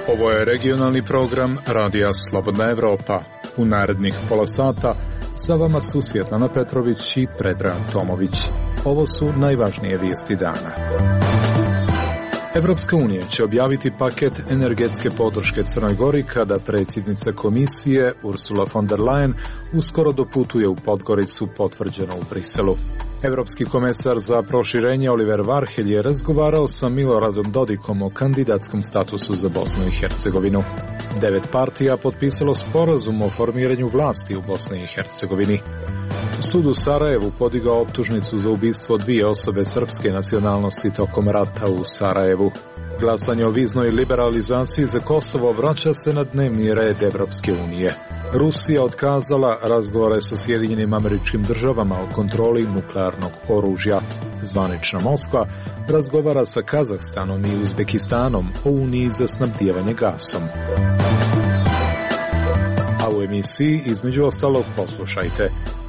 Ovo je regionalni program Radija Slobodna Evropa. U narednih pola sata sa vama su Svjetlana Petrović i Predrag Tomović. Ovo su najvažnije vijesti dana. Evropska unija će objaviti paket energetske podrške Crnoj Gori kada predsjednica komisije Ursula von der Leyen uskoro doputuje u Podgoricu, potvrđeno u Briselu. Evropski komesar za proširenje Oliver Varhelj je razgovarao sa Miloradom Dodikom o kandidatskom statusu za Bosnu i Hercegovinu. 9 partija potpisalo sporazum o formiranju vlasti u Bosni i Hercegovini. Sud u Sarajevu podigao optužnicu za ubistvo 2 osobe srpske nacionalnosti tokom rata u Sarajevu. Glasanje o viznoj liberalizaciji za Kosovo vraća se na dnevni red Evropske unije. Rusija otkazala razgovore sa Sjedinjenim Američkim Državama o kontroli nuklearnog oružja. Zvanična Moskva razgovara sa Kazahstanom i Uzbekistanom o uniji za snabdijevanje gasom. A u emisiji između ostalog poslušajte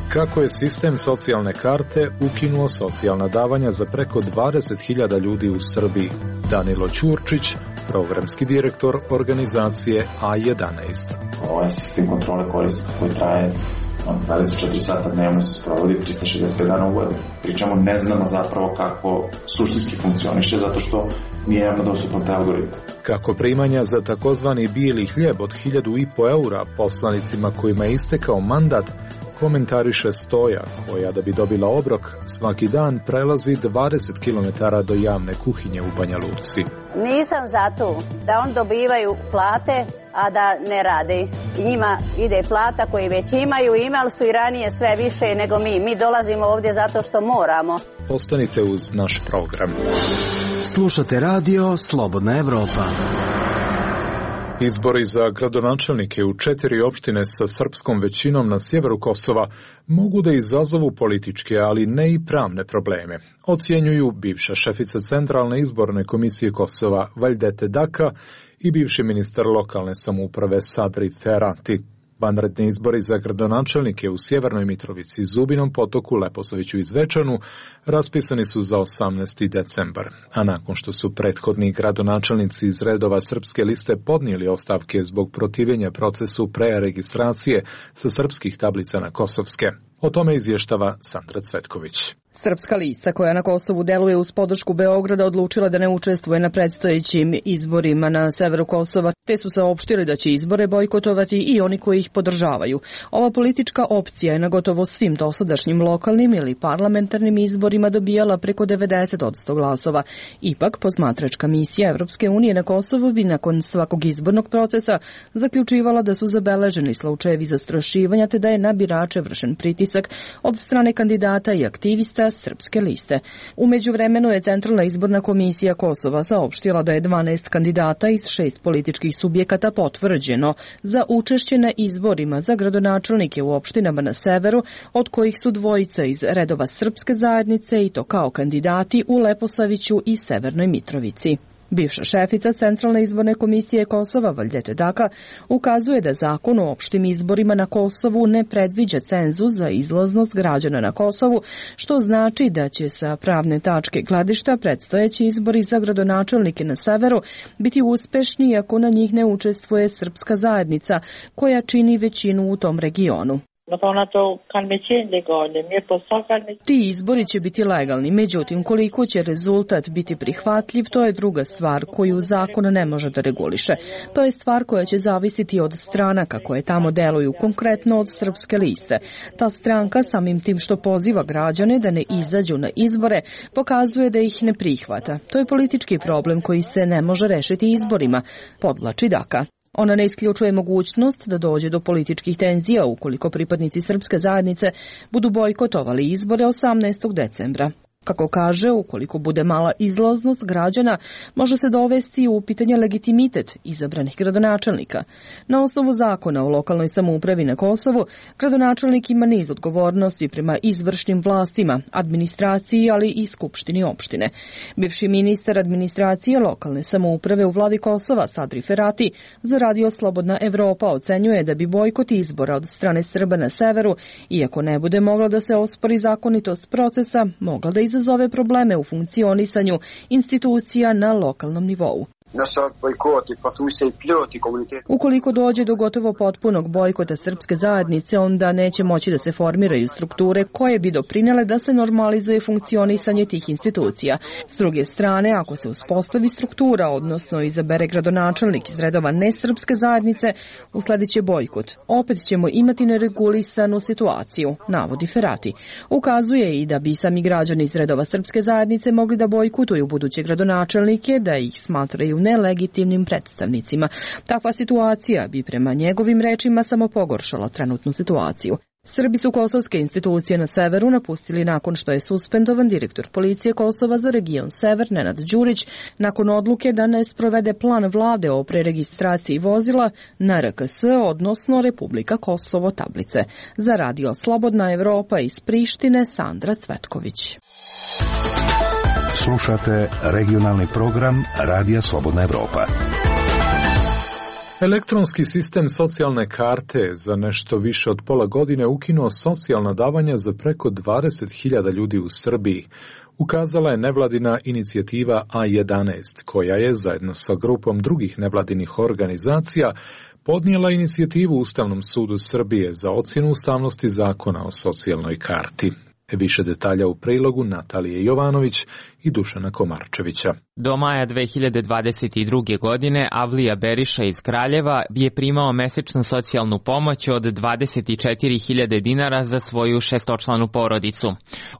kako je sistem socijalne karte ukinuo socijalna davanja za preko 20.000 ljudi u Srbiji. Danilo Ćurčić, programski direktor organizacije A11. Ovaj sistem kontrole korisnika koji traje 24 sata dnevno se sprovodi 365 dana u godini. Pričamo, ne znamo zapravo kako suštinski funkcioniše zato što nije javno dostupan taj algoritam. Kako primanja za takozvani bijeli hljeb od 1.500 eura poslanicima kojima je istekao mandat komentariše Stoja, koja da bi dobila obrok svaki dan prelazi 20 km do javne kuhinje u Banja Luci. Nisam za to da on dobivaju plate, a da ne rade. I njima ide plata koji već imali su i ranije sve više nego mi. Mi dolazimo ovdje zato što moramo. Ostanite uz naš program. Slušate radio Slobodna Evropa. Izbori za gradonačelnike u 4 opštine sa srpskom većinom na sjeveru Kosova mogu da izazovu političke, ali ne i pravne probleme, ocjenjuju bivša šefica Centralne izborne komisije Kosova Valdete Daka i bivši ministar lokalne samouprave Sadri Ferati. Vanredni izbori za gradonačelnike u Sjevernoj Mitrovici, Zubinom Potoku, Leposaviću i Zvečanu raspisani su za 18. decembar, a nakon što su prethodni gradonačelnici iz redova Srpske liste podnijeli ostavke zbog protivljenja procesu preregistracije sa srpskih tablica na kosovske. O tome izvještava Sandra Cvetković. Srpska lista koja na Kosovu deluje uz podršku Beograda odlučila da ne učestvuje na predstojećim izborima na severu Kosova, te su saopštili da će izbore bojkotovati i oni koji ih podržavaju. Ova politička opcija je na gotovo svim dosadašnjim lokalnim ili parlamentarnim izborima dobijala preko 90% glasova. Ipak, posmatračka misija Evropske unije na Kosovu bi nakon svakog izbornog procesa zaključivala da su zabeleženi slučajevi zastrašivanja te da je na birače vršen pritisak od strane kandidata i aktivista Srpske liste. U međuvremenu je Centralna izborna komisija Kosova saopštila da je 12 kandidata iz 6 političkih subjekata potvrđeno za učešće na izborima za gradonačelnike u opštinama na severu, od kojih su 2 iz redova Srpske zajednice i to kao kandidati u Leposaviću i Severnoj Mitrovici. Bivša šefica Centralne izborne komisije Kosova Valdete Daka ukazuje da zakon o opštim izborima na Kosovu ne predviđa cenzus za izlaznost građana na Kosovu, što znači da će sa pravne tačke gledišta predstojeći izbori za gradonačelnike na severu biti uspešni ako na njih ne učestvuje srpska zajednica koja čini većinu u tom regionu. Ti izbori će biti legalni, međutim koliko će rezultat biti prihvatljiv, to je druga stvar koju zakon ne može da reguliše. To je stvar koja će zavisiti od stranaka koje tamo deluju, konkretno od Srpske liste. Ta stranka samim tim što poziva građane da ne izađu na izbore, pokazuje da ih ne prihvata. To je politički problem koji se ne može rešiti izborima, podvlači Daka. Ona ne isključuje mogućnost da dođe do političkih tenzija ukoliko pripadnici srpske zajednice budu bojkotovali izbore 18. decembra. Kako kaže, ukoliko bude mala izlaznost građana, može se dovesti u pitanje legitimitet izabranih gradonačelnika. Na osnovu zakona o lokalnoj samoupravi na Kosovu, gradonačelnik ima niz odgovornosti prema izvršnim vlastima, administraciji, ali i skupštini opštine. Bivši ministar administracije lokalne samouprave u vladi Kosova, Sadri Ferati, za Radio Slobodna Evropa ocenjuje da bi bojkot izbora od strane Srba na severu, iako ne bude mogla da se ospori zakonitost procesa, mogla da izazove probleme u funkcionisanju institucija na lokalnom nivou. Ukoliko dođe do gotovo potpunog bojkota srpske zajednice, onda neće moći da se formiraju strukture koje bi doprinele da se normalizuje funkcionisanje tih institucija. S druge strane, ako se uspostavi struktura, odnosno izabere gradonačelnik iz redova nesrpske zajednice, usledit će bojkot. Opet ćemo imati neregulisanu situaciju, navodi Ferati. Ukazuje i da bi sami građani iz redova srpske zajednice mogli da bojkotuju buduće gradonačelnike, da ih smatraju nelegitimnim predstavnicima. Takva situacija bi prema njegovim rečima samo pogoršala trenutnu situaciju. Srbi su kosovske institucije na severu napustili nakon što je suspendovan direktor policije Kosova za region Sever Nenad Đurić nakon odluke da ne sprovede plan vlade o preregistraciji vozila na RKS, odnosno Republika Kosovo tablice. Za Radio Slobodna Evropa iz Prištine, Sandra Cvetković. Slušate regionalni program Radija Slobodna Evropa. Elektronski sistem socijalne karte za nešto više od pola godine ukinuo socijalna davanja za preko 20.000 ljudi u Srbiji. Ukazala je nevladina inicijativa A11, koja je zajedno sa grupom drugih nevladinih organizacija podnijela inicijativu Ustavnom sudu Srbije za ocjenu ustavnosti zakona o socijalnoj karti. Više detalja u prilogu Natalije Jovanović i Dušana Komarčevića. Do maja 2022. godine Avlija Beriša iz Kraljeva je primao mesečnu socijalnu pomoć od 24.000 dinara za svoju šestočlanu porodicu.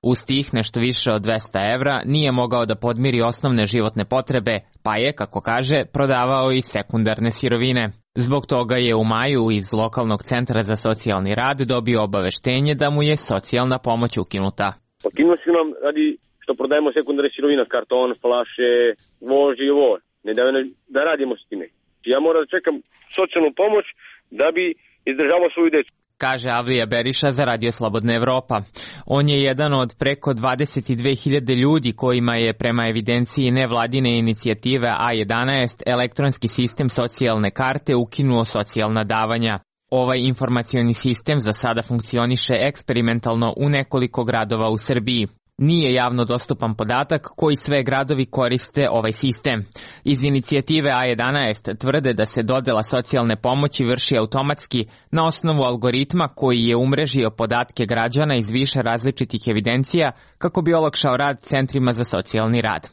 Uz tih nešto više od 200 evra nije mogao da podmiri osnovne životne potrebe, pa je, kako kaže, prodavao i sekundarne sirovine. Zbog toga je u maju iz lokalnog centra za socijalni rad dobio obaveštenje da mu je socijalna pomoć ukinuta. Ukinuo su nam radi što prodajemo sekundarne sirovine, karton, flaše, vož i ovo. Ne da radimo s time. Ja moram da čekam socijalnu pomoć da bi izdržavao svoju decu. Kaže Avlija Beriša za Radio Slobodna Evropa. On je jedan od preko 22.000 ljudi kojima je prema evidenciji nevladine inicijative A11 elektronski sistem socijalne karte ukinuo socijalna davanja. Ovaj informacioni sistem za sada funkcioniše eksperimentalno u nekoliko gradova u Srbiji. Nije javno dostupan podatak koji sve gradovi koriste ovaj sistem. Iz inicijative A11 tvrde da se dodela socijalne pomoći vrši automatski na osnovu algoritma koji je umrežio podatke građana iz više različitih evidencija kako bi olakšao rad centrima za socijalni rad.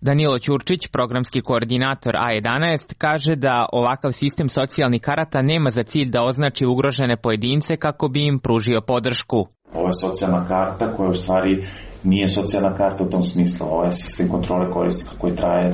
Danilo Ćurčić, programski koordinator A11, kaže da ovakav sistem socijalnih karata nema za cilj da označi ugrožene pojedince kako bi im pružio podršku. Ovo je socijalna karta koja u stvari nije socijalna karta u tom smislu. Ovo je sistem kontrole korisnika koji traje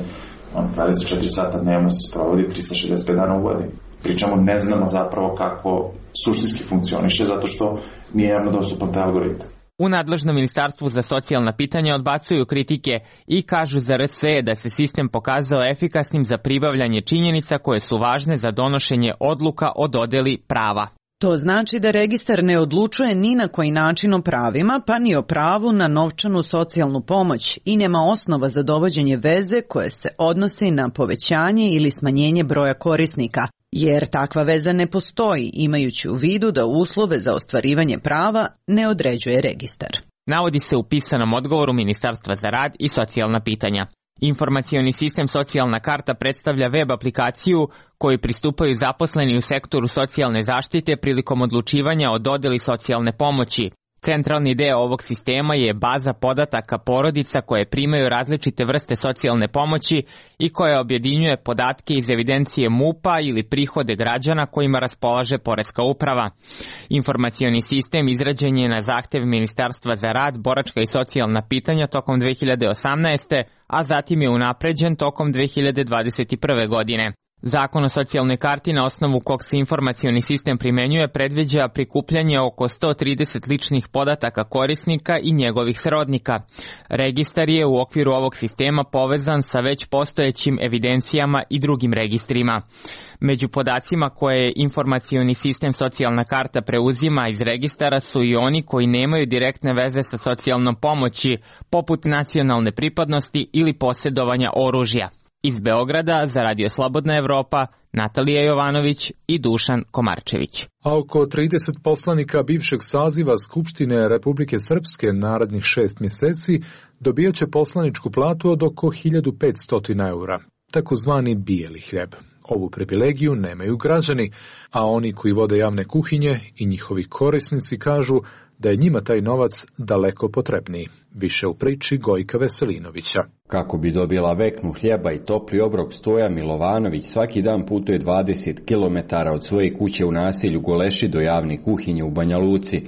24 sata dnevno, se sprovodi 365 dana u godini. Pričamo, ne znamo zapravo kako suštinski funkcioniše zato što nije javno dostupan taj algoritam. U nadležnom ministarstvu za socijalna pitanja odbacuju kritike i kažu za RS da se sistem pokazao efikasnim za pribavljanje činjenica koje su važne za donošenje odluka o dodeli prava. To znači da registar ne odlučuje ni na koji način o pravima, pa ni o pravu na novčanu socijalnu pomoć i nema osnova za dovođenje veze koje se odnosi na povećanje ili smanjenje broja korisnika, jer takva veza ne postoji, imajući u vidu da uslove za ostvarivanje prava ne određuje registar. Navodi se u pisanom odgovoru Ministarstva za rad i socijalna pitanja. Informacioni sistem socijalna karta predstavlja web aplikaciju koju pristupaju zaposleni u sektoru socijalne zaštite prilikom odlučivanja o dodeli socijalne pomoći. Centralni deo ovog sistema je baza podataka porodica koje primaju različite vrste socijalne pomoći i koja objedinjuje podatke iz evidencije MUP-a ili prihode građana kojima raspolaže Poreska uprava. Informacioni sistem izrađen je na zahtev Ministarstva za rad, boračka i socijalna pitanja tokom 2018. a zatim je unapređen tokom 2021. godine. Zakon o socijalnoj karti na osnovu kog se informacioni sistem primenjuje predviđa prikupljanje oko 130 ličnih podataka korisnika i njegovih srodnika. Registar je u okviru ovog sistema povezan sa već postojećim evidencijama i drugim registrima. Među podacima koje informacioni sistem socijalna karta preuzima iz registara su i oni koji nemaju direktne veze sa socijalnom pomoći, poput nacionalne pripadnosti ili posjedovanja oružja. Iz Beograda za Radio Slobodna Evropa, Natalija Jovanović i Dušan Komarčević. A oko 30 poslanika bivšeg saziva Skupštine Republike Srpske narednih 6 mjeseci dobijat će poslaničku platu od oko 1500 eura, takozvani bijeli hljeb. Ovu privilegiju nemaju građani, a oni koji vode javne kuhinje i njihovi korisnici kažu da je njima taj novac daleko potrebniji. Više u priči Gojka Veselinovića. Kako bi dobila veknu hljeba i topli obrok, Stoja Milovanović svaki dan putuje 20 km od svoje kuće u naselju Goleši do javne kuhinje u Banja Luci.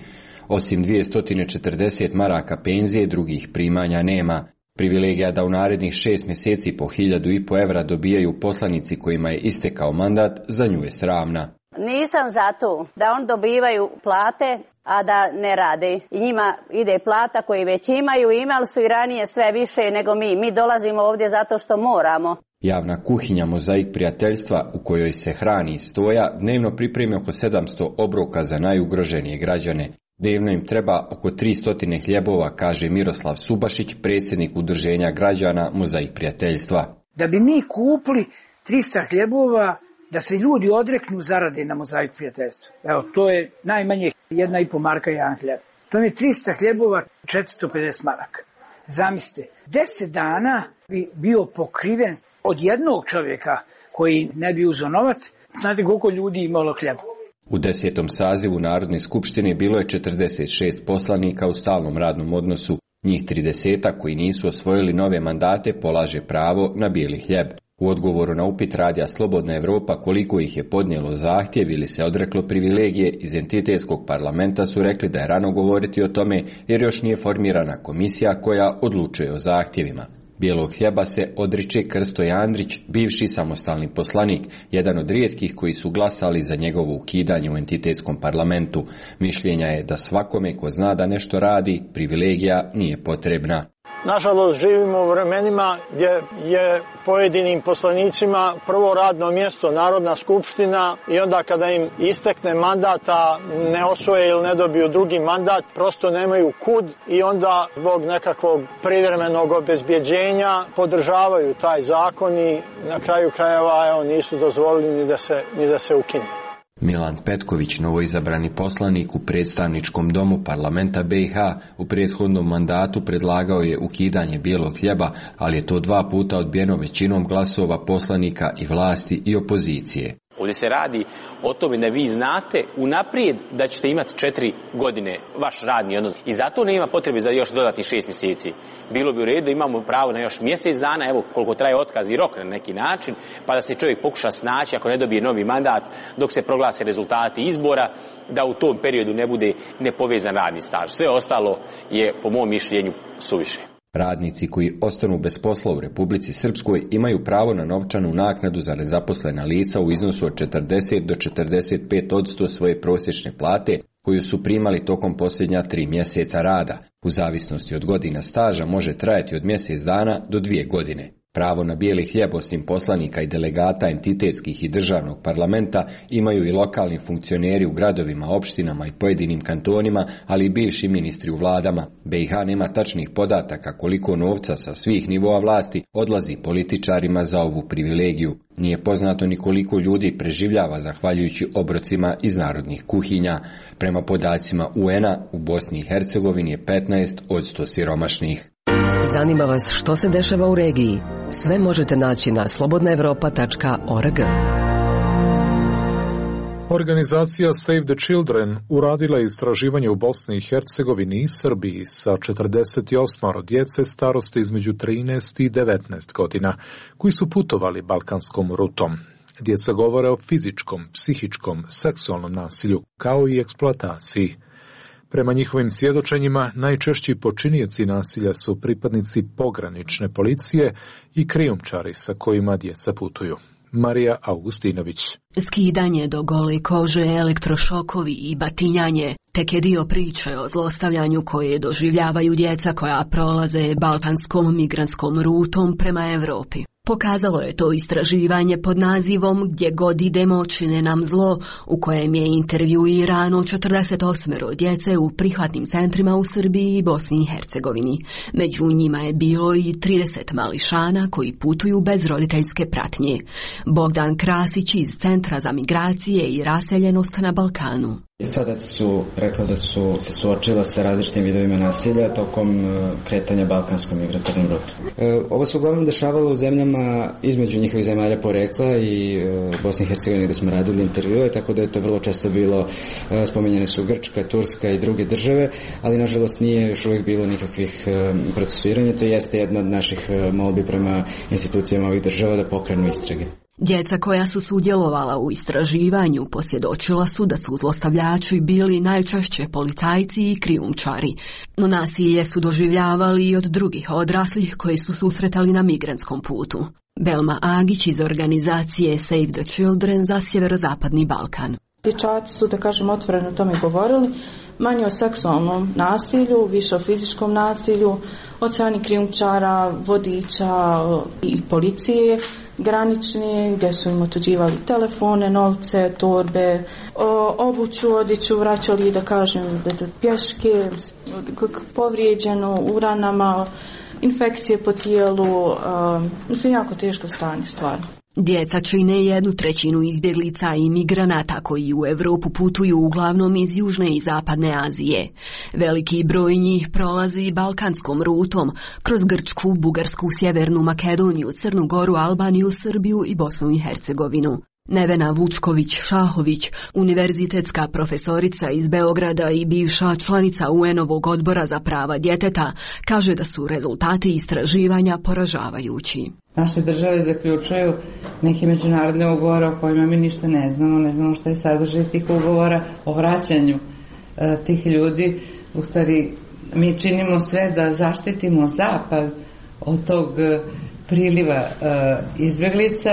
Osim 240 maraka penzije, drugih primanja nema. Privilegija da u narednih 6 mjeseci po 1500 evra dobijaju poslanici kojima je istekao mandat, za nju je sramna. Nisam za to da on dobivaju plate, a da ne rade. I njima ide plata koji već imali su i ranije sve više nego mi. Mi dolazimo ovdje zato što moramo. Javna kuhinja Mozaik prijateljstva, u kojoj se hrani Stoja, dnevno pripremi oko 700 obroka za najugroženije građane. Dnevno im treba oko 300 hljebova, kaže Miroslav Subašić, predsjednik udruženja građana Mozaik prijateljstva. Da bi mi kupili 300 hljebova, da se ljudi odreknu zarade na Mozaik prijateljstvu. Evo, to je najmanje 1,5 marka jedan hljeb. To je 300 hljebova, 450 maraka. Zamislite, 10 dana bi bio pokriven od jednog čovjeka koji ne bi uzeo novac. Znate koliko ljudi imalo hljeba? U 10. sazivu Narodne skupštine bilo je 46 poslanika u stalnom radnom odnosu. Njih 30 koji nisu osvojili nove mandate polaže pravo na bijeli hljeb. U odgovoru na upit Radija Slobodna Evropa koliko ih je podnijelo zahtjev ili se odreklo privilegije, iz entitetskog parlamenta su rekli da je rano govoriti o tome jer još nije formirana komisija koja odlučuje o zahtjevima. Bijelog hljeba se odriče Krsto Andrić, bivši samostalni poslanik, jedan od rijetkih koji su glasali za njegovo ukidanje u entitetskom parlamentu. Mišljenja je da svakome ko zna da nešto radi, privilegija nije potrebna. Nažalost, živimo u vremenima gdje je pojedinim poslanicima prvo radno mjesto Narodna skupština i onda kada im istekne mandata, ne osvoje ili ne dobiju drugi mandat, prosto nemaju kud i onda zbog nekakvog privremenog obezbjeđenja podržavaju taj zakon i na kraju krajeva nisu dozvolili ni da se ukine. Milan Petković, novoizabrani poslanik u predstavničkom domu parlamenta BiH, u prethodnom mandatu predlagao je ukidanje bijelog hljeba, ali je to 2 puta odbijeno većinom glasova poslanika i vlasti i opozicije. Ovdje se radi o tome da vi znate unaprijed da ćete imati 4 godine vaš radni odnos i zato nema potrebe za još dodatnih 6 mjeseci. Bilo bi u redu da imamo pravo na još mjesec dana, evo koliko traje otkaz i rok na neki način, pa da se čovjek pokuša snaći ako ne dobije novi mandat dok se proglase rezultati izbora, da u tom periodu ne bude nepovezan radni staž. Sve ostalo je po mom mišljenju suviše. Radnici koji ostanu bez posla u Republici Srpskoj imaju pravo na novčanu naknadu za nezaposlena lica u iznosu od 40 do 45% svoje prosječne plate koju su primali tokom posljednja 3 mjeseca rada. U zavisnosti od godina staža može trajati od mjesec dana do 2 godine. Pravo na bijeli hljeb osim poslanika i delegata entitetskih i državnog parlamenta imaju i lokalni funkcioneri u gradovima, opštinama i pojedinim kantonima, ali i bivši ministri u vladama. BiH nema tačnih podataka koliko novca sa svih nivoa vlasti odlazi političarima za ovu privilegiju. Nije poznato ni koliko ljudi preživljava zahvaljujući obrocima iz narodnih kuhinja. Prema podacima UN-a u Bosni i Hercegovini je 15 od 100 siromašnih. Zanima vas što se dešava u regiji? Sve možete naći na slobodnaevropa.org. Organizacija Save the Children uradila je istraživanje u Bosni i Hercegovini i Srbiji sa 48 djece starosti između 13 i 19 godina, koji su putovali balkanskom rutom. Djeca govore o fizičkom, psihičkom, seksualnom nasilju, kao i eksploataciji. Prema njihovim svjedočenjima, najčešći počinioci nasilja su pripadnici pogranične policije i krijumčari sa kojima djeca putuju. Marija Augustinović. Skidanje do gole kože, elektrošokovi i batinjanje tek je dio priče o zlostavljanju koje doživljavaju djeca koja prolaze balkanskom migrantskom rutom prema Europi. Pokazalo je to istraživanje pod nazivom Gdje god idemo čine nam zlo, u kojem je intervjuirano 48 djece u prihvatnim centrima u Srbiji i Bosni i Hercegovini. Među njima je bilo i 30 mališana koji putuju bez roditeljske pratnje. Bogdan Krasić iz Centra za migracije i raseljenost na Balkanu. Sada su rekla da su se suočila sa različitim vidovima nasilja tokom kretanja balkanskom migratornom rutom. Ovo se uglavnom dešavalo u zemljama između njihovih zemalja porekla i Bosne i Hercegovine gde smo radili intervjue, tako da je to vrlo često bilo, spomenjene su Grčka, Turska i druge države, ali nažalost nije još uvijek bilo nikakvih procesuiranja. To jeste jedna od naših molbi prema institucijama ovih država da pokrenu istrage. Djeca koja su sudjelovala u istraživanju posvjedočila su da su zlostavljači bili najčešće policajci i krijumčari, no nasilje su doživljavali i od drugih odraslih koji su susretali na migrantskom putu. Belma Agić iz organizacije Save the Children za sjeverozapadni Balkan. Dječaci su, da kažem, otvoreno o tome govorili, manje o seksualnom nasilju, više o fizičkom nasilju, od strane krijumčara, vodiča i policije granični, gdje su im otuđivali telefone, novce, torbe, obuću, odjeću, vraćali, da kažem, pješke, povrijeđeno u ranama, infekcije po tijelu, mislim, jako teško stanje, stvarno. Djeca čine 1/3 izbjeglica i migranata koji u Europu putuju uglavnom iz Južne i Zapadne Azije. Veliki broj njih prolazi balkanskom rutom kroz Grčku, Bugarsku, Sjevernu Makedoniju, Crnu Goru, Albaniju, Srbiju i Bosnu i Hercegovinu. Nevena Vučković-Šahović, univerzitetska profesorica iz Beograda i bivša članica UN-ovog odbora za prava djeteta, kaže da su rezultati istraživanja poražavajući. Naše države zaključuju neke međunarodne ugovore o kojima mi ništa ne znamo šta je sadržaj tih ugovora o vraćanju tih ljudi. U stvari, mi činimo sve da zaštitimo Zapad od tog priliva izbjeglica,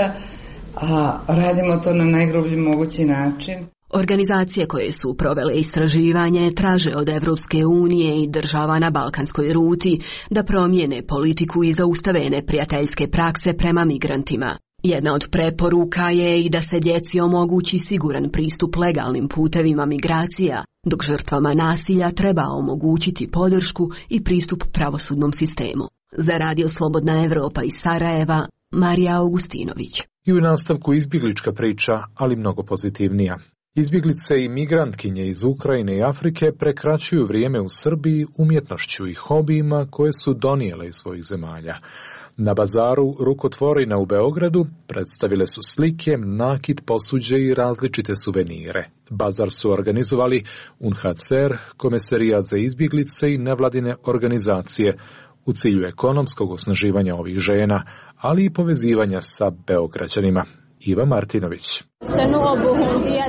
a radimo to na najgrublji mogući način. Organizacije koje su provele istraživanje traže od Evropske unije i država na balkanskoj ruti da promijene politiku i zaustave neprijateljske prakse prema migrantima. Jedna od preporuka je i da se djeci omogući siguran pristup legalnim putevima migracija, dok žrtvama nasilja treba omogućiti podršku i pristup pravosudnom sistemu. Za Radio Slobodna Evropa iz Sarajeva, Marija Augustinović. I u nastavku izbjeglička priča, ali mnogo pozitivnija. Izbjeglice i migrantkinje iz Ukrajine i Afrike prekraćuju vrijeme u Srbiji umjetnošću i hobijima koje su donijele iz svojih zemalja. Na bazaru Rukotvorina u Beogradu predstavile su slike, nakit, posuđe i različite suvenire. Bazar su organizovali UNHCR, Komesarijat za izbjeglice i nevladine organizacije u cilju ekonomskog osnaživanja ovih žena, ali i povezivanja sa Beograđanima. Iva Martinović.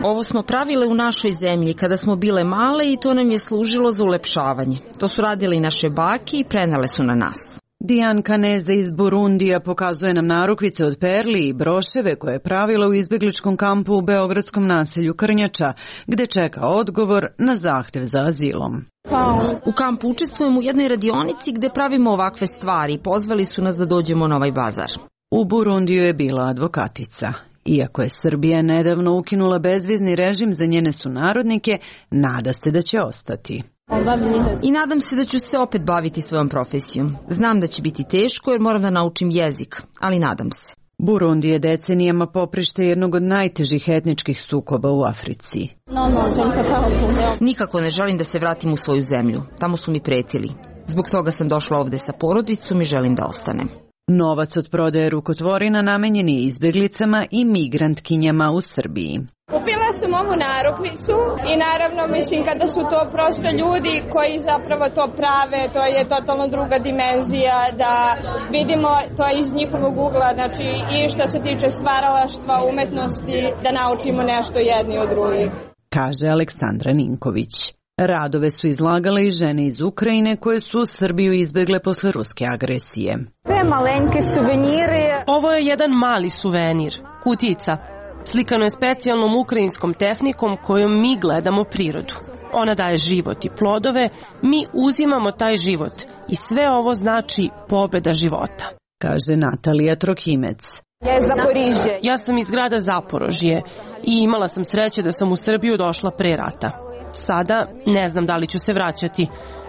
Ovo smo pravile u našoj zemlji kada smo bile male i to nam je služilo za ulepšavanje. To su radili naše bake i prenele su na nas. Dijan Kaneze iz Burundija pokazuje nam narukvice od perli i broševe koje je pravila u izbjegličkom kampu u beogradskom naselju Krnjača, gde čeka odgovor na zahtev za azilom. U kampu učestvujemo u jednoj radionici gde pravimo ovakve stvari. Pozvali su nas da dođemo na ovaj bazar. U Burundiju je bila advokatica. Iako je Srbija nedavno ukinula bezvizni režim za njene sunarodnike, nada se da će ostati. I nadam se da ću se opet baviti svojom profesijom. Znam da će biti teško jer moram da naučim jezik, ali nadam se. Burundi je decenijama poprište jednog od najtežih etničkih sukoba u Africi. Nikako ne želim da se vratim u svoju zemlju. Tamo su mi pretili. Zbog toga sam došla ovde sa porodicom i želim da ostanem. Novac od prodaje rukotvorina namenjen je izbjeglicama i migrantkinjama u Srbiji. Kupila sam ovu narukvicu i naravno mislim kada su to prosto ljudi koji zapravo to prave, to je totalno druga dimenzija, da vidimo to iz njihovog ugla, znači i što se tiče stvaralaštva, umetnosti, da naučimo nešto jedni od drugih. Kaže Aleksandra Ninković. Radove su izlagale i žene iz Ukrajine koje su u Srbiju izbegle posle ruske agresije. Ovo je jedan mali suvenir, kutijica. Slikano je specijalnom ukrajinskom tehnikom kojom mi gledamo prirodu. Ona daje život i plodove, mi uzimamo taj život i sve ovo znači pobeda života. Kaže Natalija Trokimec. Ja sam iz grada Zaporožje i imala sam sreće da sam u Srbiju došla pre rata. Sada ne znam da li ću se vraćati,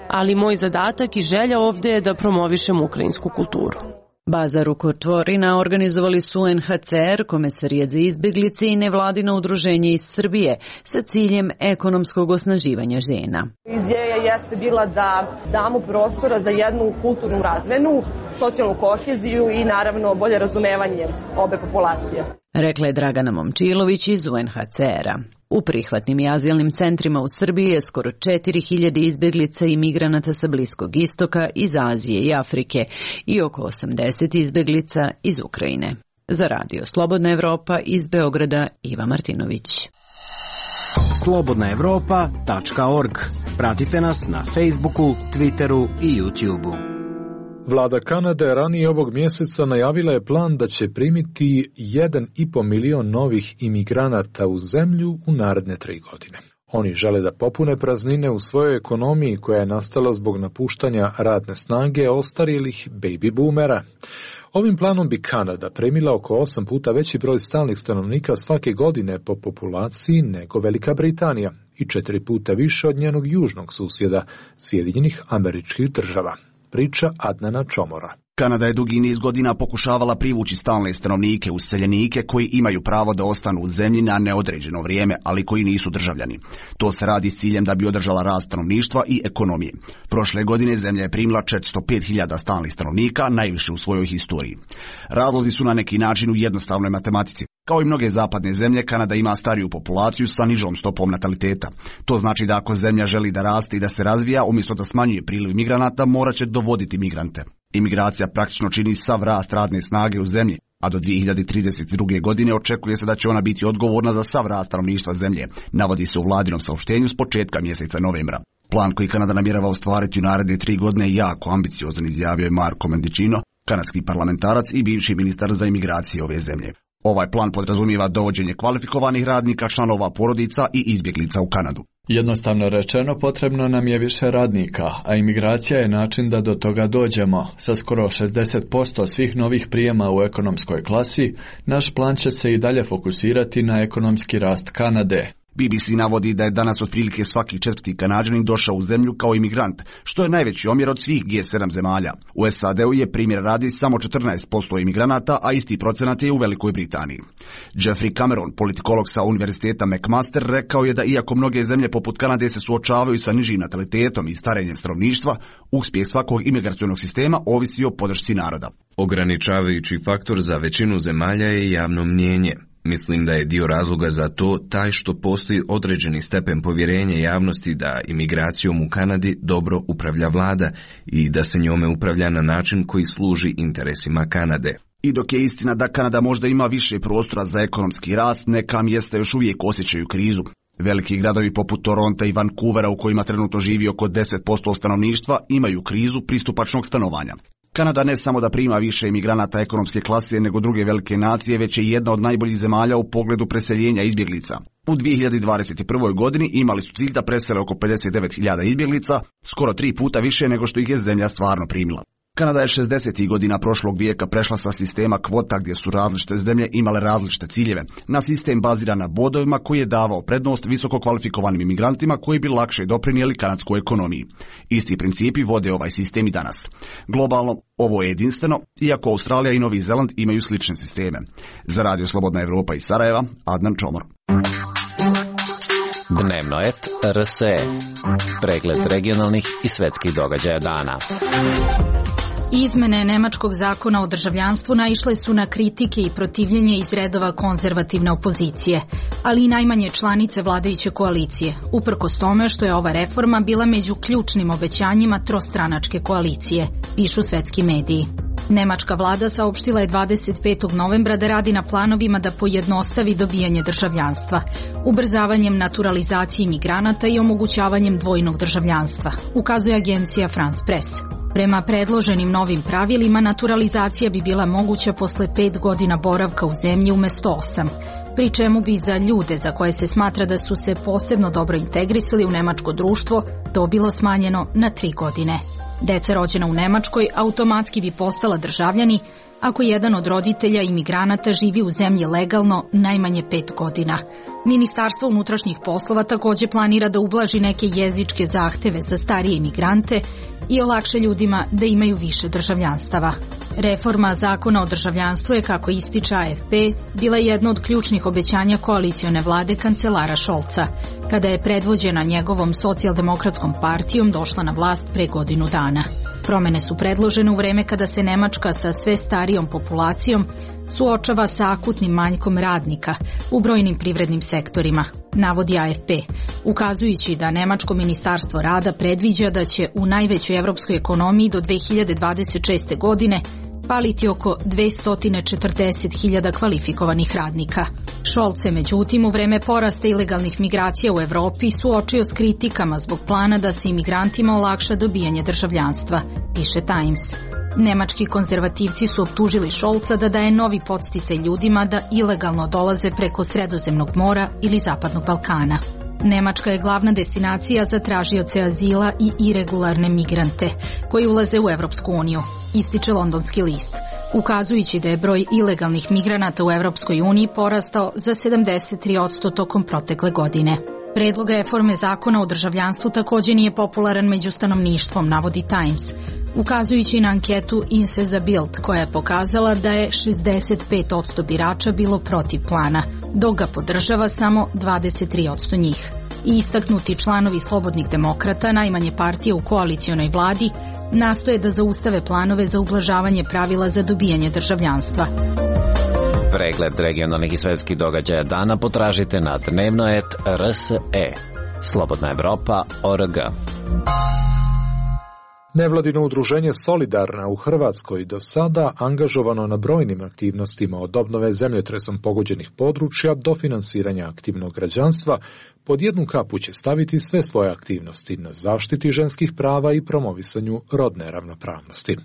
ali moj zadatak i želja ovde je da promovišem ukrajinsku kulturu. Bazar u Kortvorina organizovali su UNHCR, Komesarijat za izbjeglice i nevladino udruženje iz Srbije sa ciljem ekonomskog osnaživanja žena. Ideja jeste bila da damo prostora za jednu kulturnu razmenu, socijalnu koheziju i naravno bolje razumevanje obe populacije. Rekla je Dragana Momčilović iz UNHCR-a. U prihvatnim i azilnim centrima u Srbiji je skoro 4000 izbjeglica i migranata sa Bliskog istoka, iz Azije i Afrike i oko 80 izbjeglica iz Ukrajine. Za Radio Slobodna Evropa iz Beograda Iva Martinović. slobodnaevropa.org. Pratite nas na Facebooku, Twitteru i YouTubeu. Vlada Kanade ranije ovog mjeseca najavila je plan da će primiti 1,5 milion novih imigranata u zemlju u naredne 3 godine. Oni žele da popune praznine u svojoj ekonomiji koja je nastala zbog napuštanja radne snage ostarjelih baby boomera. Ovim planom bi Kanada primila oko 8 puta veći broj stalnih stanovnika svake godine po populaciji nego Velika Britanija i 4 puta više od njenog južnog susjeda, Sjedinjenih Američkih Država. Priča Adnana Čomora. Kanada je dugi niz godina pokušavala privući stalne stanovnike, useljenike koji imaju pravo da ostanu u zemlji na neodređeno vrijeme, ali koji nisu državljani. To se radi s ciljem da bi održala rast stanovništva i ekonomije. Prošle godine zemlja je primila 405.000 stalnih stanovnika, najviše u svojoj historiji. Razlozi su na neki način u jednostavnoj matematici. Kao i mnoge zapadne zemlje, Kanada ima stariju populaciju sa nižom stopom nataliteta. To znači da ako zemlja želi da raste i da se razvija, umjesto da smanjuje priliv migranata, morat će dovoditi migrante. Imigracija praktično čini sav rast radne snage u zemlji, a do 2032. godine očekuje se da će ona biti odgovorna za sav rast stanovništva zemlje, navodi se u vladinom saopštenju s početka mjeseca novembra. Plan koji Kanada namjerava ostvariti u naredne 3 godine je jako ambiciozan, izjavio je Marco Mendicino, kanadski parlamentarac i bivši ministar za imigracije ove zemlje. Ovaj plan podrazumijeva dovođenje kvalifikovanih radnika, članova porodica i izbjeglica u Kanadu. Jednostavno rečeno, potrebno nam je više radnika, a imigracija je način da do toga dođemo. Sa skoro 60% svih novih prijema u ekonomskoj klasi, naš plan će se i dalje fokusirati na ekonomski rast Kanade. BBC navodi da je danas otprilike svaki 4. Kanađanin došao u zemlju kao imigrant, što je najveći omjer od svih G7 zemalja. U SAD-u je primjer radi samo 14% imigranata, a isti procenat je u Velikoj Britaniji. Jeffrey Cameron, politikolog sa Univerziteta McMaster, rekao je da iako mnoge zemlje poput Kanade se suočavaju sa nižim natalitetom i starenjem stanovništva, uspjeh svakog imigracionog sistema ovisi o podršci naroda. Ograničavajući faktor za većinu zemalja je javno mnijenje. Mislim da je dio razloga za to taj što postoji određeni stepen povjerenja javnosti da imigracijom u Kanadi dobro upravlja vlada i da se njome upravlja na način koji služi interesima Kanade. I dok je istina da Kanada možda ima više prostora za ekonomski rast, neka mjesta još uvijek osjećaju krizu. Veliki gradovi poput Toronta i Vancouvera, u kojima trenutno živi oko 10% stanovništva, imaju krizu pristupačnog stanovanja. Kanada ne samo da prima više imigranata ekonomske klase nego druge velike nacije, već je jedna od najboljih zemalja u pogledu preseljenja izbjeglica. U 2021. godini imali su cilj da presele oko 59.000 izbjeglica, skoro 3 puta više nego što ih je zemlja stvarno primila. Kanada je 60. godina prošlog vijeka prešla sa sistema kvota gdje su različite zemlje imale različite ciljeve, na sistem baziran na bodovima koji je davao prednost visoko kvalifikovanim imigrantima koji bi lakše doprinijeli kanadskoj ekonomiji. Isti principi vode ovaj sistem i danas. Globalno, ovo je jedinstveno, iako Australija i Novi Zeland imaju slične sisteme. Za Radio Slobodna Evropa iz Sarajeva, Adnan Čomor. Dnevno et RSE. Pregled regionalnih i svetskih događaja dana. Izmene nemačkog zakona o državljanstvu naišle su na kritike i protivljenje iz redova konzervativne opozicije, ali i najmanje članice vladajuće koalicije, uprkos tome što je ova reforma bila među ključnim obećanjima trostranačke koalicije, pišu svetski mediji. Nemačka vlada saopštila je 25. novembra da radi na planovima da pojednostavi dobijanje državljanstva, ubrzavanjem naturalizacije imigranata i omogućavanjem dvojnog državljanstva, ukazuje agencija France Press. Prema predloženim novim pravilima, naturalizacija bi bila moguća posle 5 godina boravka u zemlji umjesto 8, pri čemu bi za ljude za koje se smatra da su se posebno dobro integrisali u nemačko društvo to bilo smanjeno na 3 godine. Deca rođena u Nemačkoj automatski bi postala državljani ako jedan od roditelja imigranata živi u zemlji legalno najmanje 5 godina. Ministarstvo unutrašnjih poslova također planira da ublaži neke jezičke zahteve za starije imigrante i olakša ljudima da imaju više državljanstava. Reforma zakona o državljanstvu je, kako ističe AFP, bila jedno od ključnih obećanja koalicione vlade kancelara Scholza, kada je predvođena njegovom socijaldemokratskom partijom došla na vlast pre godinu dana. Promene su predložene u vreme kada se Nemačka sa sve starijom populacijom suočava sa akutnim manjkom radnika u brojnim privrednim sektorima, navodi AFP, ukazujući da Nemačko ministarstvo rada predviđa da će u najvećoj evropskoj ekonomiji do 2026. godine paliti oko 240.000 kvalifikovanih radnika. Scholz se međutim u vreme porasta ilegalnih migracija u Evropi suočio s kritikama zbog plana da se imigrantima olakša dobijanje državljanstva, piše Times. Nemački konzervativci su optužili Scholza da daje novi podsticaj ljudima da ilegalno dolaze preko Sredozemnog mora ili Zapadnog Balkana. Nemačka je glavna destinacija za tražioce azila i iregularne migrante koji ulaze u Evropsku uniju, ističe Londonski list, ukazujući da je broj ilegalnih migranata u Evropskoj uniji porastao za 73% tokom protekle godine. Predlog reforme zakona o državljanstvu također nije popularan među stanovništvom, navodi Times, ukazujući na anketu Inse za Bild koja je pokazala da je 65% birača bilo protiv plana, dok ga podržava samo 23% njih. I istaknuti članovi Slobodnih demokrata, najmanje partije u koalicionoj vladi, nastoje da zaustave planove za ublažavanje pravila za dobijanje državljanstva. Pregled regionalnih i svetskih događaja dana potražite na dnevnoet.rse. Slobodna Evropa.org. Nevladino udruženje Solidarna u Hrvatskoj do sada angažovano na brojnim aktivnostima od obnove zemljotresom pogođenih područja do finansiranja aktivnog građanstva, pod jednu kapu će staviti sve svoje aktivnosti na zaštiti ženskih prava i promovisanju rodne ravnopravnosti.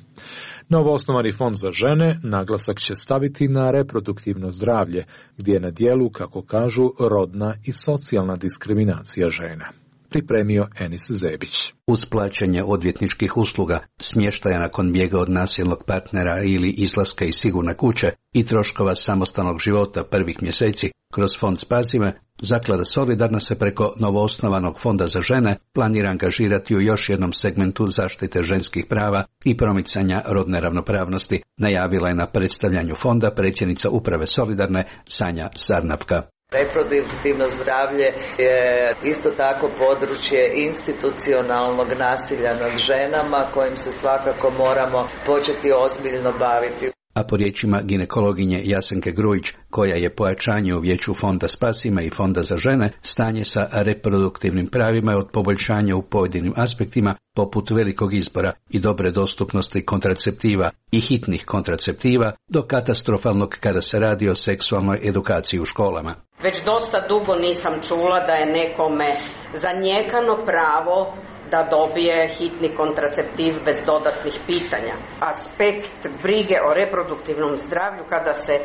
Novoosnovani fond za žene naglasak će staviti na reproduktivno zdravlje, gdje je na dijelu, kako kažu, rodna i socijalna diskriminacija žena. Pripremio Enis Zebić. Uz plaćanje odvjetničkih usluga, smještaja nakon bijega od nasilnog partnera ili izlaska iz sigurne kuće i troškova samostalnog života prvih mjeseci, kroz fond Spasi me, Zaklada Solidarna se preko novoosnovanog fonda za žene planira angažirati u još jednom segmentu zaštite ženskih prava i promicanja rodne ravnopravnosti, najavila je na predstavljanju fonda predsjednica uprave Solidarne Sanja Sarnavka. Reproduktivno zdravlje je isto tako područje institucionalnog nasilja nad ženama kojim se svakako moramo početi ozbiljno baviti. A po riječima ginekologinje Jasenke Grujić, koja je pojačanje u vijeću fonda Spasi me i fonda za žene, stanje sa reproduktivnim pravima je od poboljšanja u pojedinim aspektima, poput velikog izbora i dobre dostupnosti kontraceptiva i hitnih kontraceptiva, do katastrofalnog kada se radi o seksualnoj edukaciji u školama. Već dosta dugo nisam čula da je nekome zanijekano pravo da dobije hitni kontraceptiv bez dodatnih pitanja. Aspekt brige o reproduktivnom zdravlju kada se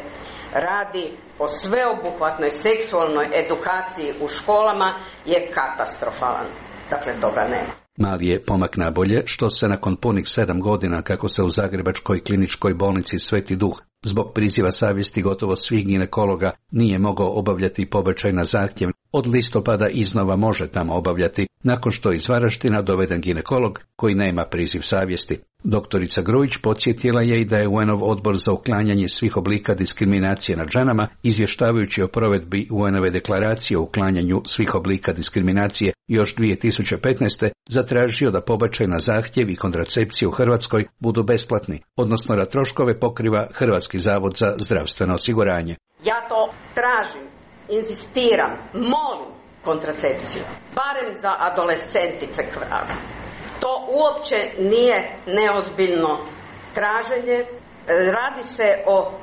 radi o sveobuhvatnoj seksualnoj edukaciji u školama je katastrofalan. Dakle, toga nema. Mali je pomak nabolje, što se nakon punih 7 godina kako se u Zagrebačkoj kliničkoj bolnici Sveti Duh zbog priziva savjesti gotovo svih ginekologa nije mogao obavljati pobačaj na zahtjev, od listopada iznova može tamo obavljati, nakon što je iz Varaždina doveden ginekolog koji nema priziv savjesti. Doktorica Grujić podsjetila je i da je UN-ov odbor za uklanjanje svih oblika diskriminacije nad ženama, izvještavajući o provedbi UN-ove deklaracije o uklanjanju svih oblika diskriminacije još 2015. zatražio da pobačaj na zahtjev i kontracepcije u Hrvatskoj budu besplatni, odnosno da troškove pokriva Hrvatski zavod za zdravstveno osiguranje. Ja to tražim, inzistiram, molim kontracepciju, barem za adolescentice krave. To uopće nije neozbiljno traženje, radi se o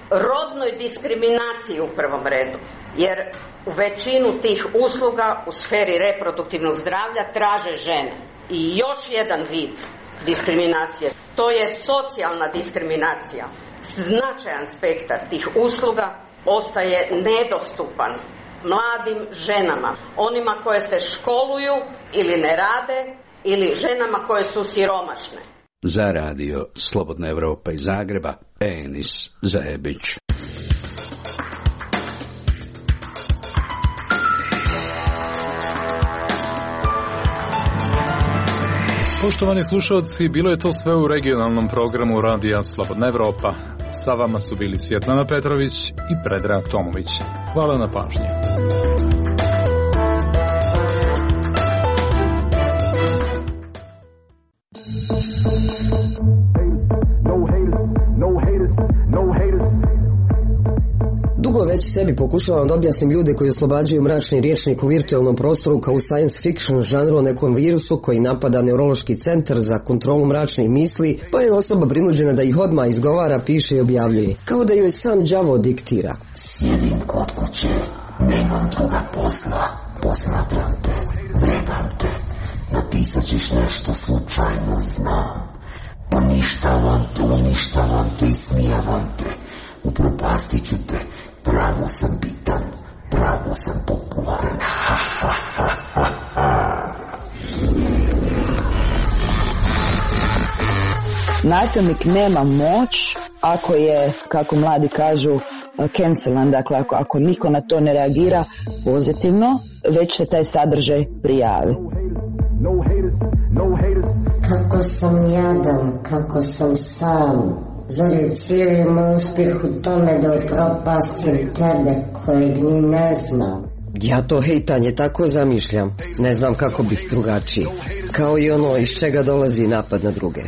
rodnoj diskriminaciji u prvom redu, jer u većinu tih usluga u sferi reproduktivnog zdravlja traže žene. I još jedan vid diskriminacije. To je socijalna diskriminacija. Značajan spektar tih usluga ostaje nedostupan mladim ženama, onima koje se školuju ili ne rade, ili ženama koje su siromašne. Za radio Slobodna Evropa iz Zagreba, Enis Zajebić. Poštovani slušalci, bilo je to sve u regionalnom programu radija Slobodna Evropa. Sa vama su bili Svjetlana Petrović i Predrag Tomović. Hvala na pažnji. Dugo već sebi pokušavam da objasnim ljude koji oslobađaju mračni rječnik u virtualnom prostoru kao u science fiction žanru o nekom virusu koji napada neurološki centar za kontrolu mračnih misli, pa je osoba prinuđena da ih odmah izgovara, piše i objavljuje. Kao da joj sam đavo diktira. Sjedim kod kuće, nemam druga posla, posmatram te, vrebam te, napisat ćeš nešto slučajno znam. Poništavam te, uništavam te, ismijavam te, upropastit ću te, pravo sam bitan, pravo sam popularan. Nasilnik nema moć ako je, kako mladi kažu, cancelan, dakle ako niko na to ne reagira pozitivno, već se taj sadržaj prijavi. Kako sam jadan, kako sam sam. Zar je cijeli moj uspjeh u tome da upropastim tebe kojeg ni ne znam? Ja to hejtanje tako zamišljam. Ne znam kako bih drugačiji. Kao i ono iz čega dolazi napad na druge.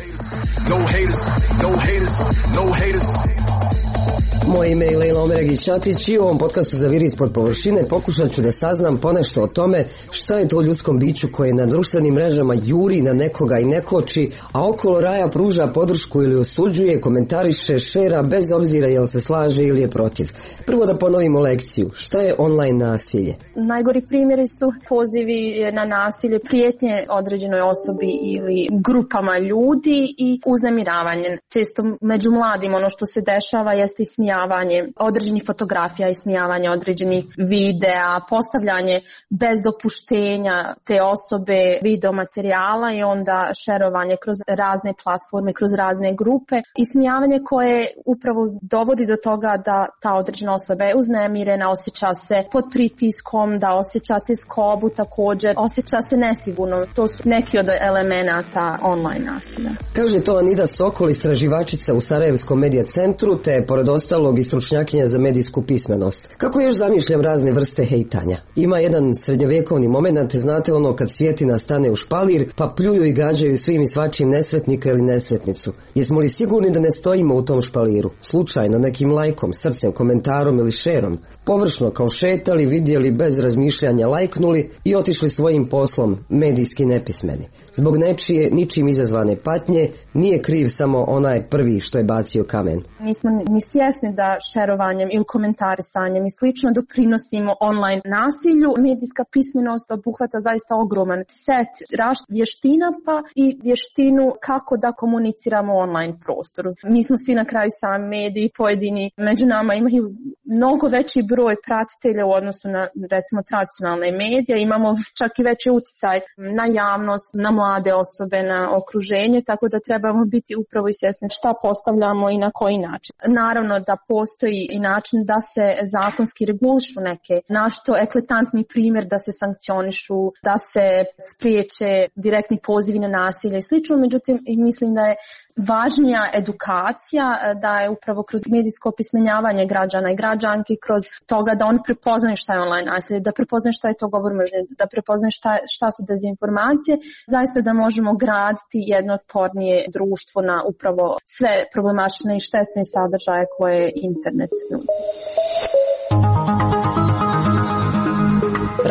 Moje ime je Lejla Omeregić-Ćatić i u ovom podcastu za Viri ispod površine pokušat ću da saznam ponešto o tome šta je to ljudskom biću koje na društvenim mrežama juri na nekoga i nekoči, a okolo raja pruža podršku ili osuđuje, komentariše, šera bez obzira jel se slaže ili je protiv. Prvo da ponovimo lekciju. Šta je online nasilje? Najgori primjeri su pozivi na nasilje, prijetnje određenoj osobi ili grupama ljudi i uznemiravanje. Često među mladim ono što se dešava jeste ismijavanje određenih fotografija, ismijavanje određenih videa, postavljanje bez dopuštenja te osobe video materijala i onda šerovanje kroz razne platforme, kroz razne grupe. Ismijavanje koje upravo dovodi do toga da ta određena osoba je uznemirena, osjeća se pod pritiskom, da osjeća tjeskobu također, osjeća se nesigurno. To su neki od elemenata online nasilja. Kaže to Anida Sokol, istraživačica u Sarajevskom medija centru, te pored ostalog i stručnjakinja za medijsku pismenost. Kako još zamišljam razne vrste hejtanja? Ima jedan srednjovjekovni moment, znate ono kad svjetina stane u špalir, pa pljuju i gađaju svim i svačim nesretnika ili nesretnicu. Jesmo li sigurni da ne stojimo u tom špaliru? Slučajno, nekim lajkom, srcem, komentarom ili šerom? Površno kao šetali, vidjeli, bez razmišljanja lajknuli i otišli svojim poslom, medijski nepismeni. Zbog nečije, ničim izazvane patnje, nije kriv samo onaj prvi što je bacio kamen. Nismo ni svjesni da šerovanjem ili komentarisanjem i slično doprinosimo online nasilju. Medijska pismenost obuhvata zaista ogroman set vještina pa i vještinu kako da komuniciramo u online prostoru. Mi smo svi na kraju sami mediji, pojedini među nama imaju mnogo veći broj pratitelja u odnosu na recimo tradicionalne medije, imamo čak i veći utjecaj na javnost, na mlade osobe, na okruženje, tako da trebamo biti upravo i svjesni šta postavljamo i na koji način. Naravno da postoji i način da se zakonski regulišu neke našto eklatantni primjer da se sankcionišu, da se spriječe direktni pozivi na nasilje i slično, međutim mislim da je važnija edukacija, da je upravo kroz medijsko opismenjavanje građana i građanki, kroz toga da oni prepoznaju šta je online nasilje, da prepoznaju šta je to govor mržnje, da prepoznaju šta su dezinformacije, zaista da možemo graditi jedno otpornije društvo na upravo sve problematične i štetne sadržaje koje internet nudi.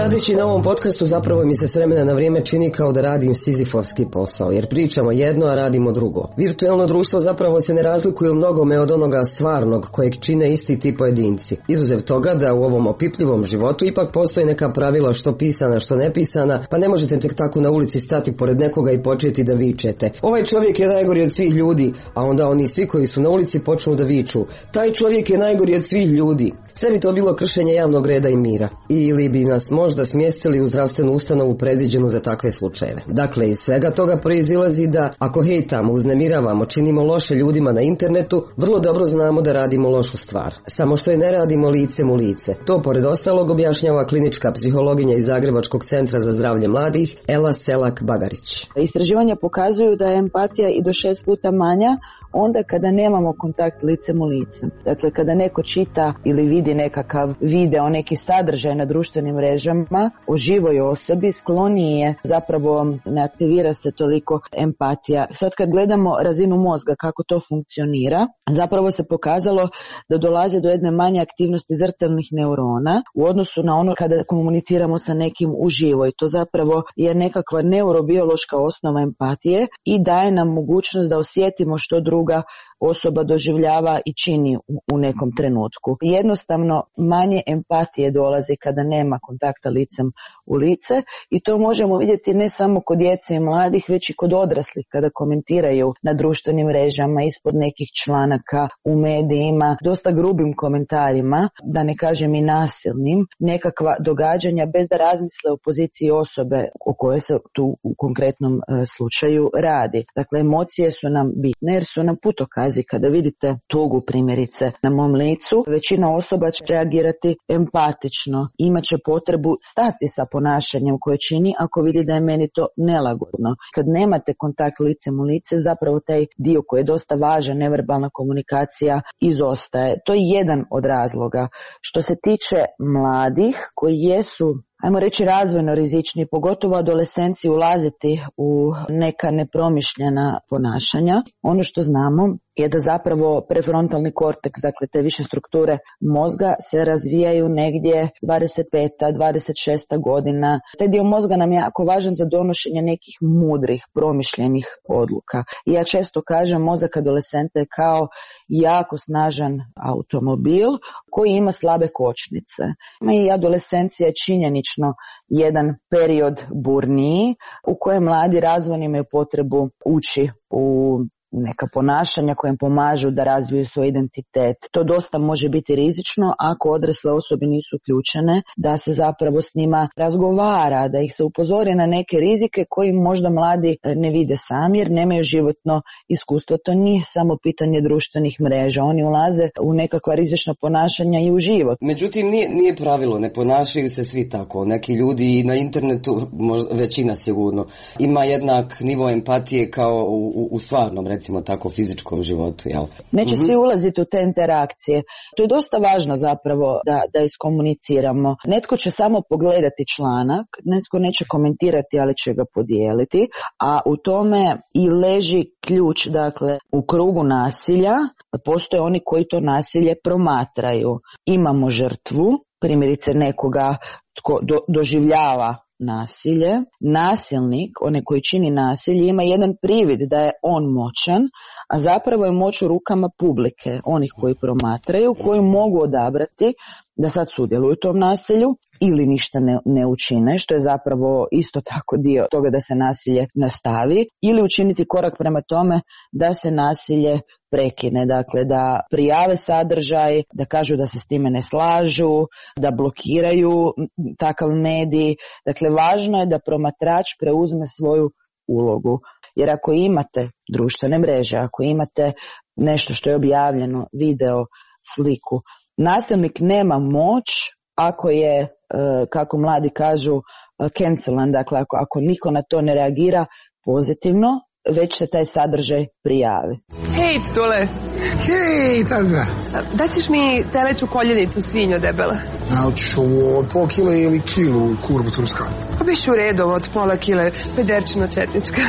Radeći na ovom podcastu zapravo mi se s vremena na vrijeme čini kao da radim sizifovski posao, jer pričamo jedno, a radimo drugo. Virtualno društvo zapravo se ne razlikuje u mnogome od onoga stvarnog kojeg čine isti ti pojedinci. Izuzev toga da u ovom opipljivom životu ipak postoje neka pravila što pisana, što nepisana, pa ne možete tek tako na ulici stati pored nekoga i početi da vičete. Ovaj čovjek je najgori od svih ljudi, a onda oni svi koji su na ulici počnu da viču. Taj čovjek je najgori od svih ljudi. Sve bi to bilo kršenje javnog reda i mira. Ili bi nas možda smjestili u zdravstvenu ustanovu predviđenu za takve slučajeve. Dakle, iz svega toga proizilazi da ako hejtamo, uznemiravamo, činimo loše ljudima na internetu, vrlo dobro znamo da radimo lošu stvar. Samo što je ne radimo licem u lice. To pored ostalog objašnjava klinička psihologinja iz Zagrebačkog centra za zdravlje mladih Ela Selak-Bagarić. Istraživanja pokazuju da je empatija i do 6 puta manja onda kada nemamo kontakt licem u lice. Dakle, kada neko čita ili vidi nekakav video, neki sadržaj na društvenim mrežama o živoj osobi, skloniji je, zapravo ne aktivira se toliko empatija. Sad kad gledamo razinu mozga, kako to funkcionira, zapravo se pokazalo da dolazi do jedne manje aktivnosti zrcalnih neurona u odnosu na ono kada komuniciramo sa nekim uživo. I to zapravo je nekakva neurobiološka osnova empatije i daje nam mogućnost da osjetimo što druga osoba doživljava i čini u nekom trenutku. Jednostavno manje empatije dolazi kada nema kontakta licem u lice i to možemo vidjeti ne samo kod djece i mladih, već i kod odraslih kada komentiraju na društvenim mrežama, ispod nekih članaka, u medijima, dosta grubim komentarima, da ne kažem i nasilnim, nekakva događanja bez da razmisle o poziciji osobe o kojoj se tu u konkretnom slučaju radi. Dakle, emocije su nam bitne jer su nam putokaz. Kada vidite tugu primjerice na mom licu, većina osoba će reagirati empatično, imaće potrebu stati sa ponašanjem koje čini ako vidi da je meni to nelagodno. Kad nemate kontakt licem u lice, zapravo taj dio koji je dosta važan, neverbalna komunikacija, izostaje. To je jedan od razloga. Što se tiče mladih koji jesu, ajmo reći, razvojno rizični, pogotovo adolescenci, ulaziti u neka nepromišljena ponašanja. Ono što znamo je da zapravo prefrontalni korteks, dakle te više strukture mozga, se razvijaju negdje 25. 26. godina. Taj dio mozga nam je jako važan za donošenje nekih mudrih, promišljenih odluka. I ja često kažem, mozak adolescenta je kao jako snažan automobil koji ima slabe kočnice. I adolescencija je činjenično jedan period burniji u kojem mladi razvojni imaju potrebu ući u neka ponašanja koja im pomažu da razviju svoj identitet. To dosta može biti rizično ako odrasle osobe nisu uključene, da se zapravo s njima razgovara, da ih se upozori na neke rizike koji možda mladi ne vide sami jer nemaju životno iskustvo. To nije samo pitanje društvenih mreža, oni ulaze u nekakva rizična ponašanja i u život. Međutim, nije pravilo, ne ponašaju se svi tako. Neki ljudi na internetu, većina sigurno, ima jednak nivo empatije kao u stvarnom, recimo tako, fizičkom životu, jel? Neće svi ulaziti u te interakcije. To je dosta važno zapravo da iskomuniciramo. Netko će samo pogledati članak, netko neće komentirati, ali će ga podijeliti, a u tome i leži ključ. Dakle, u krugu nasilja postoje oni koji to nasilje promatraju. Imamo žrtvu, primjerice nekoga tko doživljava nasilje. Nasilnik, onaj koji čini nasilje, ima jedan privid da je on moćan, a zapravo je moć u rukama publike, onih koji promatraju, koji mogu odabrati da sad sudjeluju u tom nasilju ili ništa ne učine, što je zapravo isto tako dio toga da se nasilje nastavi, ili učiniti korak prema tome da se nasilje prekine, dakle da prijave sadržaj, da kažu da se s time ne slažu, da blokiraju takav medij. Dakle, važno je da promatrač preuzme svoju ulogu. Jer ako imate društvene mreže, ako imate nešto što je objavljeno, video, sliku, nasilnik nema moć ako je, kako mladi kažu, cancelan, dakle ako niko na to ne reagira pozitivno, već se taj sadržaj prijavi. Hej, Tule! Hej, Tazna! Daćeš mi teleću koljenicu svinjo debele? Da li ćeš ovo od pola kile ili kilu kurvu turska? Pa bit ću u redu od pola kile, pederčino četnička.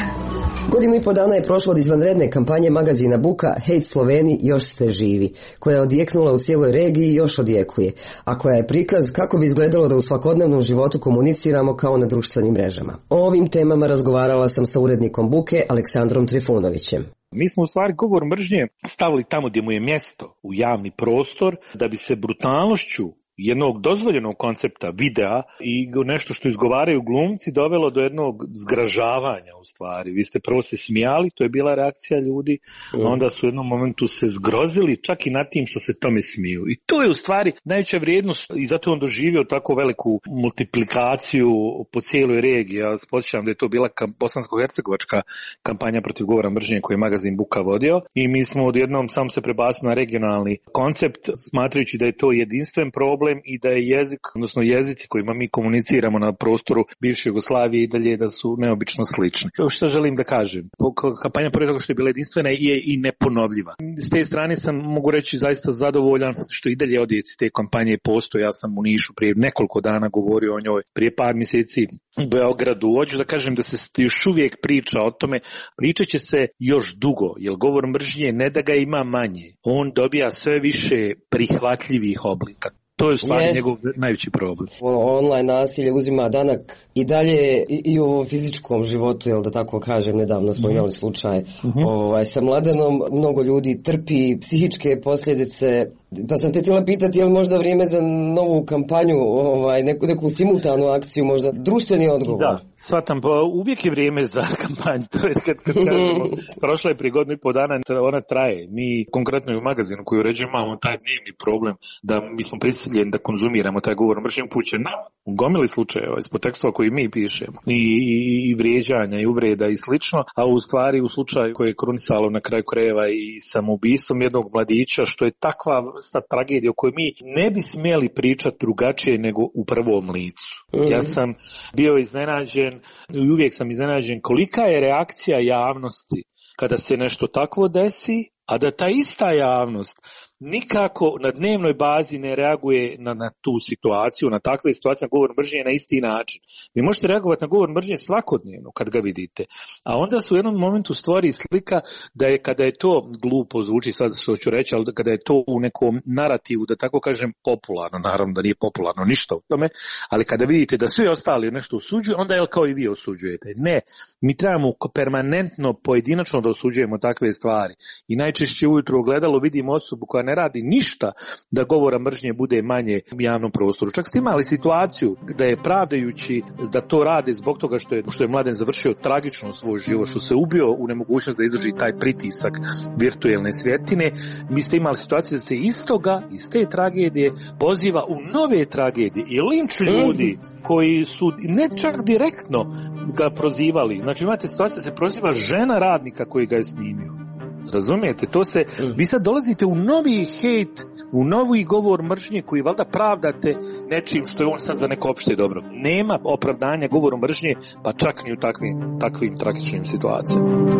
Godinu i po dana je prošlo od izvanredne kampanje magazina Buka Hejt Sloveni još ste živi, koja je odjeknula u cijeloj regiji i još odjekuje, a koja je prikaz kako bi izgledalo da u svakodnevnom životu komuniciramo kao na društvenim mrežama. O ovim temama razgovarala sam sa urednikom Buke Aleksandrom Trifunovićem. Mi smo u stvari govor mržnje stavili tamo gdje mu je mjesto, u javni prostor, da bi se brutalnošću jednog dozvoljenog koncepta videa i nešto što izgovaraju glumci dovelo do jednog zgražavanja u stvari. Vi ste prvo se smijali, to je bila reakcija ljudi, a onda su u jednom momentu se zgrozili čak i nad tim što se tome smiju. I to je u stvari najveća vrijednost i zato je on doživio tako veliku multiplikaciju po cijeloj regiji. Ja podsjećam da je to bila bosansko-hercegovačka kampanja protiv govora mržnje koju je magazin Buka vodio i mi smo odjednom samo se prebacili na regionalni koncept smatrajući da je to jedinstven problem i da je jezik, odnosno jezici kojima mi komuniciramo na prostoru bivše Jugoslavije i dalje da su neobično slični. Što želim da kažem? Kampanja pored toga što je bila jedinstvena je i neponovljiva. S te strane sam, mogu reći, zaista zadovoljan što i dalje odjeci te kampanje postoje. Ja sam u Nišu prije nekoliko dana govorio o njoj, prije par mjeseci u Beogradu. Hoću da kažem da se još uvijek priča o tome, pričat će se još dugo, jer govor mržnje ne da ga ima manje, on dobija sve više prihvatljivih oblika. To je u stvari njegov najveći problem. Online nasilje uzima danak i dalje i u fizičkom životu, jel da tako kažem, nedavno smo imali slučaj sa Mladenom, mnogo ljudi trpi psihičke posljedice, pa sam te htjela pitati je li možda vrijeme za novu kampanju, neku simultanu akciju, možda društveni odgovor. Da, shvatam, pa uvijek je vrijeme za kampanju, to je kad kažemo, prošla je prije godinu i po dana, ona traje. Mi konkretno u magazinu koji uređujemo imamo taj dnevni problem da mi smo prisiljeni da konzumiramo taj govor mržnje upućen na gomili slučajeva ispod tekstova koji mi pišemo i vrijeđanja i uvreda i slično, a u stvari u slučaju koje je krunisalo na kraju krajeva i samoubistvom jednog mladića, što je takva vrsta tragedije o kojoj mi ne bi smjeli pričati drugačije nego u prvom licu. Ja sam bio iznenađen i uvijek sam iznenađen kolika je reakcija javnosti kada se nešto takvo desi, a da ta ista javnost nikako na dnevnoj bazi ne reaguje na tu situaciju, na takve situacije, na govor mržnje na isti način. Vi možete reagovati na govor mržnje svakodnevno kad ga vidite, a onda se u jednom momentu stvori slika da je, kada je to glupo zvuči sad što ću reći, ali kada je to u nekom narativu, da tako kažem, popularno, naravno da nije popularno ništa u tome, ali kada vidite da svi ostali nešto osuđuju, onda je kao i vi osuđujete. Ne, mi trebamo permanentno, pojedinačno da osuđujemo takve stvari i najčešće ujutro u ogledalu vidimo osobu koja ne radi ništa da govora mržnje bude manje u javnom prostoru. Čak ste imali situaciju da je pravdajući da to rade zbog toga što je Mladen završio tragično svoj život, što se ubio u nemogućnost da izdrži taj pritisak virtuelne svjetine, mi ste imali situaciju da se iz te tragedije poziva u nove tragedije i linč ljudi koji su ne čak direktno ga prozivali. Znači imate situaciju da se proziva žena radnika koji ga je snimio. Razumijete, to se, vi sad dolazite u novi hejt, u novi govor mržnje koji valjda pravdate nečim što je on sad za neko opšte dobro. Nema opravdanja govoru mržnje, pa čak ni u takvim tragičnim situacijama.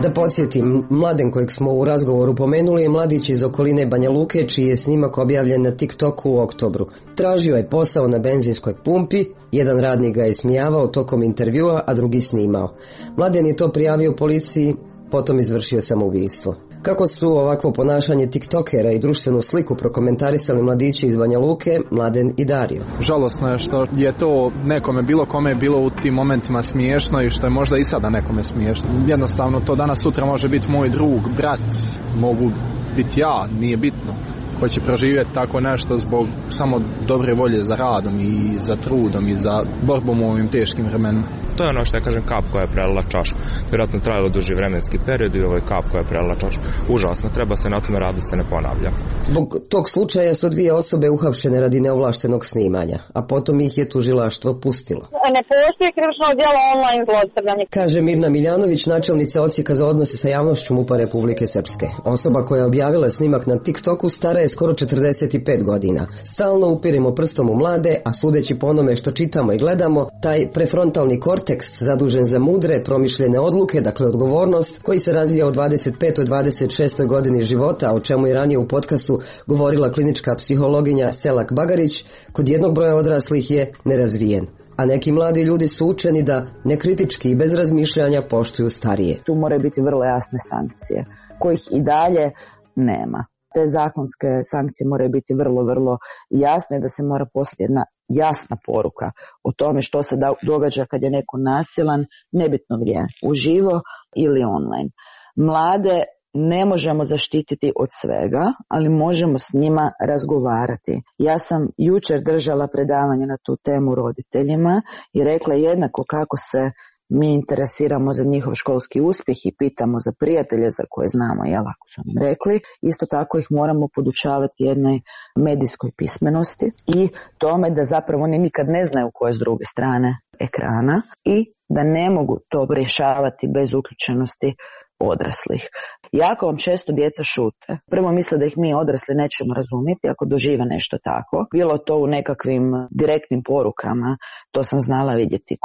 Da podsjetim, Mladen kojeg smo u razgovoru pomenuli je mladić iz okoline Banja Luke, čiji je snimak objavljen na TikToku u oktobru. Tražio je posao na benzinskoj pumpi, jedan radnik ga je smijavao tokom intervjua, a drugi snimao. Mladen je to prijavio policiji, potom izvršio samoubistvo. Kako su ovakvo ponašanje tiktokera i društvenu sliku prokomentarisali mladići iz Banja Luke, Mladen i Dario? Žalosno je što je to nekome, bilo kome je bilo u tim momentima smiješno i što je možda i sada nekome smiješno. Jednostavno to danas sutra može biti moj drug, brat, mogu biti ja, nije bitno. Ko će proživjeti tako nešto zbog samo dobre volje za radom i za trudom i za borbom u ovim teškim vremenima. To je ono što ja kažem, kap koja je prelila čašu. Vjerojatno trajalo duži vremenski period i ovo je kap koja je prelila čašu. Užasno, treba se na tome raditi da se ne ponavlja. Zbog tog slučaja su 2 osobe uhapšene radi neovlaštenog snimanja, a potom ih je tužilaštvo pustilo. Ne postoji krivično djelo online zlostavljanja, kaže Mirna Miljanović, načelnica odsjeka za odnose sa javnošću MUP-a Republike Srpske. Osoba koja je objavila snimak na TikToku stara je skoro 45 godina. Stalno upiremo prstom u mlade, a sudeći po onome što čitamo i gledamo, taj prefrontalni korteks zadužen za mudre, promišljene odluke, dakle odgovornost, koji se razvija u 25. 26. godini života, o čemu je ranije u podcastu govorila klinička psihologinja Selak Bagarić, kod jednog broja odraslih je nerazvijen. a neki mladi ljudi su učeni da nekritički i bez razmišljanja poštuju starije. Tu moraju biti vrlo jasne sankcije, kojih i dalje nema. Te zakonske sankcije moraju biti vrlo jasne, da se mora poslati jedna jasna poruka o tome što se događa kad je neko nasilan, nebitno gdje, uživo ili online. Mlade ne možemo zaštititi od svega, ali možemo s njima razgovarati. Ja sam jučer držala predavanje na tu temu roditeljima i rekla jednako kako se mi interesiramo za njihov školski uspjeh i pitamo za prijatelje za koje znamo, ako su nam rekli, isto tako ih moramo podučavati jednoj medijskoj pismenosti i tome da zapravo oni nikad ne znaju ko je s druge strane ekrana i da ne mogu to rješavati bez uključenosti odraslih. Jako vam često djeca šute. Prvo misle da ih mi odrasli nećemo razumjeti ako dožive nešto tako. Bilo to u nekakvim direktnim porukama, to sam znala vidjeti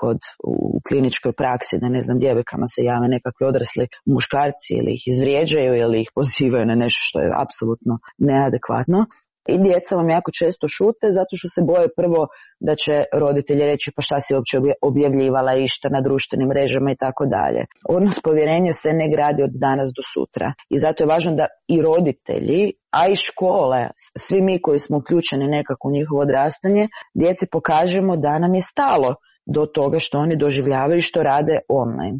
u kliničkoj praksi, da djevojkama se jave nekakvi odrasli muškarci ili ih izvrijeđaju ili ih pozivaju na nešto što je apsolutno neadekvatno. I djeca vam jako često šute zato što se boje prvo da će roditelji reći pa šta si uopće objavljivala išta na društvenim mrežama i tako dalje. Odnos povjerenja se ne gradi od danas do sutra i zato je važno da i roditelji, a i škole, svi mi koji smo uključeni nekako u njihovo odrastanje, djeci pokažemo da nam je stalo do toga što oni doživljavaju i što rade online.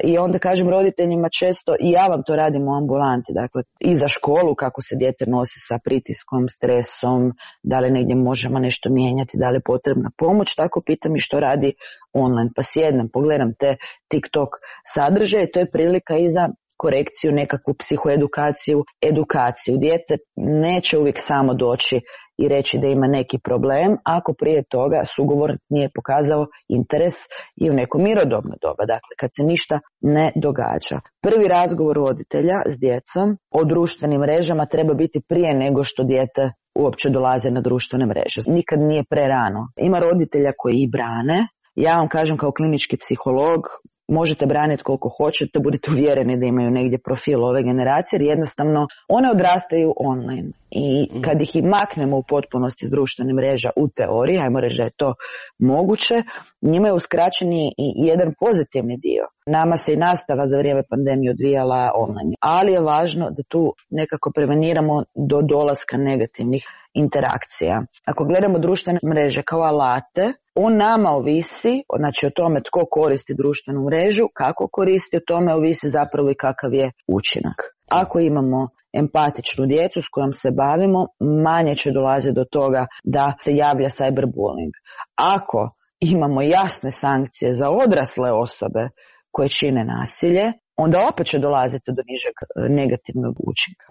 I onda kažem roditeljima često, i ja vam to radim u ambulanti, dakle i za školu kako se dijete nosi sa pritiskom, stresom, da li negdje možemo nešto mijenjati, da li je potrebna pomoć, tako pitam i što radi online. Pa sjednem, pogledam te TikTok sadržaje, to je prilika i za korekciju, nekakvu psihoedukaciju, edukaciju. Dijete neće uvijek samo doći i reći da ima neki problem ako prije toga sugovornik nije pokazao interes i u neko mirodobno doba, dakle kad se ništa ne događa. Prvi razgovor roditelja s djecom o društvenim mrežama treba biti prije nego što dijete uopće dolaze na društvene mreže. Nikad nije prerano. Ima roditelja koji i brane. Ja vam kažem kao klinički psiholog, možete braniti koliko hoćete, budite uvjereni da imaju negdje profil ove generacije, jer jednostavno one odrastaju online. I kad ih i maknemo u potpunosti s društvenih mreža u teoriji, ajmo reći da je to moguće, njima je uskraćeni i jedan pozitivni dio. Nama se i nastava za vrijeme pandemije odvijala online, ali je važno da tu nekako preveniramo do dolaska negativnih interakcija. Ako gledamo društvene mreže kao alate, on nama ovisi, znači o tome tko koristi društvenu mrežu, kako koristi, o tome ovisi zapravo i kakav je učinak. Ako imamo empatičnu djecu s kojom se bavimo, manje će dolaziti do toga da se javlja cyberbullying. Ako imamo jasne sankcije za odrasle osobe koje čine nasilje, onda opet će dolaziti do nižeg negativnog učinka.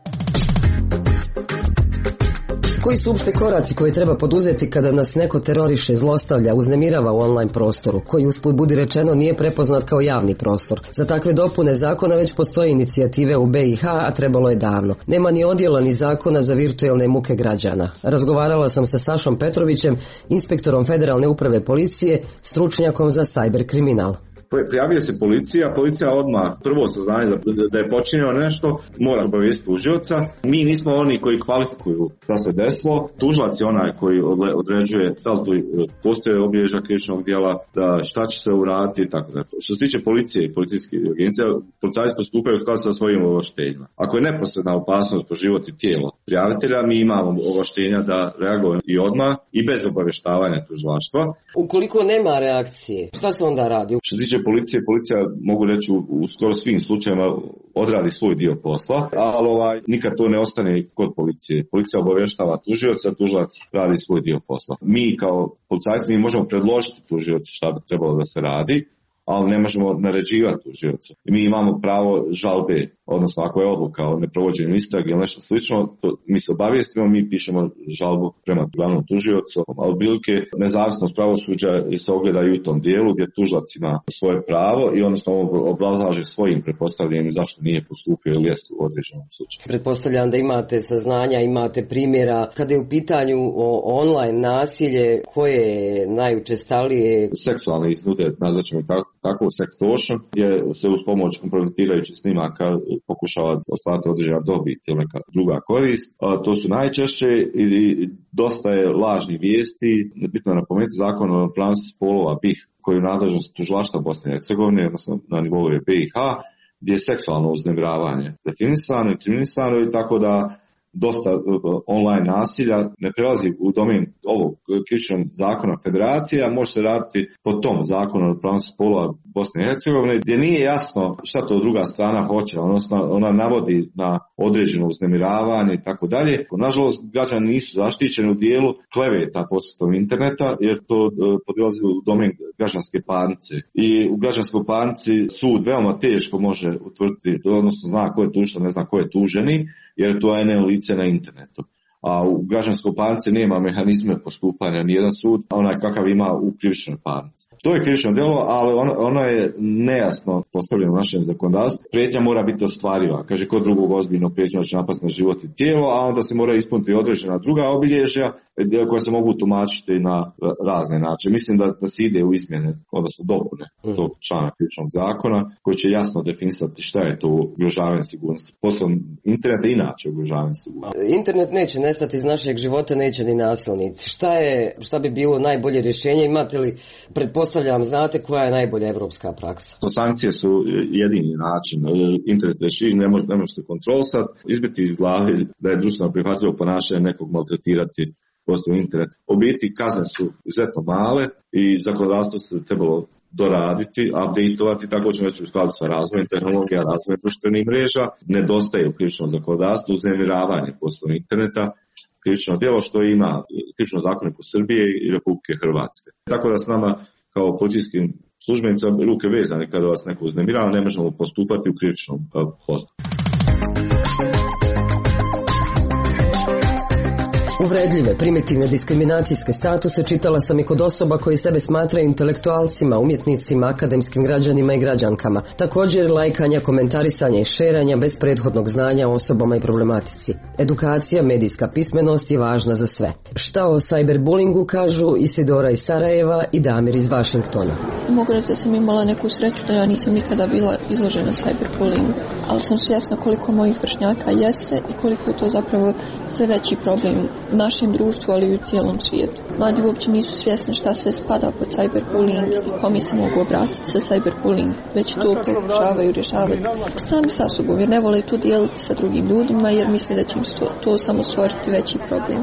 Koji su uopšte koraci koje treba poduzeti kada nas neko teroriše, zlostavlja, uznemirava u online prostoru, koji usput budi rečeno nije prepoznat kao javni prostor? Za takve dopune zakona već postoje inicijative u BiH, a trebalo je davno. Nema ni odjela ni zakona za virtualne muke građana. Razgovarala sam sa Sašom Petrovićem, inspektorom Federalne uprave policije, stručnjakom za cyber kriminal. Prijavio se policija odmah prvo saznanje da je počinjeno nešto, mora obavijestiti tužioca. Mi nismo oni koji kvalifikuju šta se desilo. Tužilac je onaj koji određuje da li tu postoje obilježja krivičnog djela, da šta će se uraditi i tako da. Što se tiče policije i policijskih agencija, policajci postupaju u skladu sa svojim ovlaštenjima. Ako je neposredna opasnost po život i tijelo prijavitelja, mi imamo ovlaštenja da reagujemo i odmah i bez obavještavanja tužilaštva. Ukoliko nema reakcije, šta se onda radi? Što se tiče policija mogu reći u skoro svim slučajevima odradi svoj dio posla, ali nikad to ne ostane kod policije. Policija obavještava tužioca, tužilac radi svoj dio posla. Mi kao policajci možemo predložiti tužiocu šta bi trebalo da se radi, ali ne možemo naređivati tužiocu. Mi imamo pravo žalbe, odnosno ako je odluka o neprovođenju istrage ili nešto slično, to mi se obavijestimo, mi pišemo žalbu prema glavnom tužiocu, a otprilike nezavisnost pravosuđa se ogleda i u tom dijelu gdje tužilac ima svoje pravo i odnosno obrazlaže svojim pretpostavljanjem zašto nije postupio ili jest u određenom slučaju. Pretpostavljam da imate saznanja, imate primjera. Kada je u pitanju online nasilje, koje je najučestalije? Seksualne iznude, nazvaćemo tako sextortion, gdje se uz pomoć kompromitirajućih snimaka pokušava ostvariti određena dobit ili neka druga korist. To su najčešće i dosta je lažnih vijesti. Bitno je napomenuti zakon o ravnopravnosti spolova BiH koji je u nadležnosti tužilaštva Bosne i Hercegovine, odnosno na nivou BiH, gdje je seksualno uznemiravanje definisano i kriminalisano i tako da dosta online nasilja ne prelazi u domen ovog krivičnog zakona federacija, može se raditi po tom zakonu o ravnopravnosti spolova Bosne i Hercegovine, gdje nije jasno šta to druga strana hoće, odnosno ona navodi na određeno uznemiravanje i tako dalje. Nažalost, građani nisu zaštićeni u dijelu kleveta posredstvom interneta, jer to podilazi u domen građanske parnice. I u građanskoj parnici sud veoma teško može utvrditi, odnosno zna ko je tužitelj, ne zna ko je tuženi, jer to je lice na internetu. A u građanskoj parnici nema mehanizme postupanja, nijedan sud, onaj kakav ima u krivičnoj parnici. To je krivično djelo, ali ono je nejasno postavljeno u našem zakonodavstvu. Prijetnja mora biti ostvariva. Kaže, kod drugog ozbiljno prijetnja će napasti na život i tijelo, a onda se mora ispuniti određena druga obilježja koja se mogu tumačiti na razne načine. Mislim da se ide u izmjene, odnosno dopune tog člana krivičnog zakona, koji će jasno definisati šta je to ugrožavanje sigurnosti. Poslom interneta inače ugrožavanje sigurnosti. Internet neće nestati iz našeg života, neće ni nasilnici. Šta bi bilo najbolje rješenje? Imate li, pretpostavljam, znate koja je najbolja evropska praksa? Sankcije su jedini način. Internet režim ne možete kontrolisati, izbiti iz glave da je društveno prihvatljivo ponašanje nekog maltretirati postoji internet. U biti kazne su izuzetno male i zakonodavstvo se trebalo doraditi, updateovati, tako ćemo reći u skladu sa razvojem tehnologija, razvojem društvenih mreža. Nedostaje u krivičnom zakonodavstvu uznemiravanje poslovnog interneta, krivično djelo što ima krivično zakoniku Srbije i Republike Hrvatske. Tako da s nama kao policijskim službenicama ruke vezane kada vas neko uznemirava, ne možemo postupati u krivičnom postupku. Uvredljive, primitivne diskriminacijske statuse čitala sam i kod osoba koji sebe smatraju intelektualcima, umjetnicima, akademskim građanima i građankama. Također lajkanja, komentarisanja i šeranja bez prethodnog znanja o osobama i problematici. Edukacija, medijska pismenost je važna za sve. Šta o cyberbullingu kažu Isidora iz Sarajeva i Damir iz Vašingtona. Mogu reći da sam imala neku sreću da ja nisam nikada bila izložena cyberbullingu, ali sam svjesna koliko mojih vršnjaka jeste i koliko je to zapravo sve veći problem u našem društvu, ali i u cijelom svijetu. Mladi uopće nisu svjesni šta sve spada pod cyberbullying i kome se mogu obratiti sa cyberbullying, već to pokušavaju rješavati sami sa sobom, jer ne vole to dijeliti sa drugim ljudima, jer misle da će im to samo stvoriti veći problem.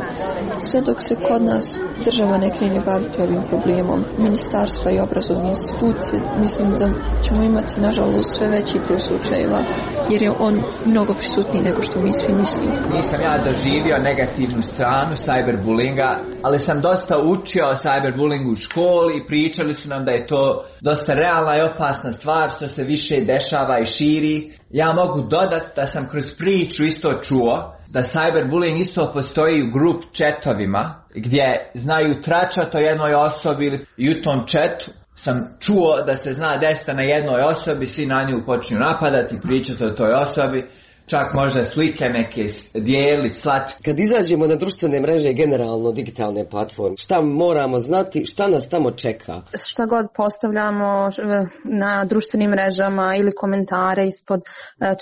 Sve dok se kod nas država ne krene baviti ovim problemom, ministarstva i obrazovne institucije, mislim da ćemo imati nažalost sve veći broj slučajeva, jer je on mnogo prisutniji nego što mi svi mislimo. Nisam ja doživio negativnu stranu cyberbullinga, ali sam dosta učio o cyberbullingu u školi i pričali su nam da je to dosta realna i opasna stvar što se više dešava i širi. Ja mogu dodati da sam kroz priču isto čuo da cyberbullying isto postoji u grup chatovima gdje znaju tračati o jednoj osobi i u tom chatu sam čuo da se zna desiti na jednoj osobi, svi na nju počinju napadati, pričati o toj osobi, čak možda slike neke dijeliti, slati. Kad izađemo na društvene mreže i generalno digitalne platforme, šta moramo znati, šta nas tamo čeka? Šta god postavljamo na društvenim mrežama ili komentare ispod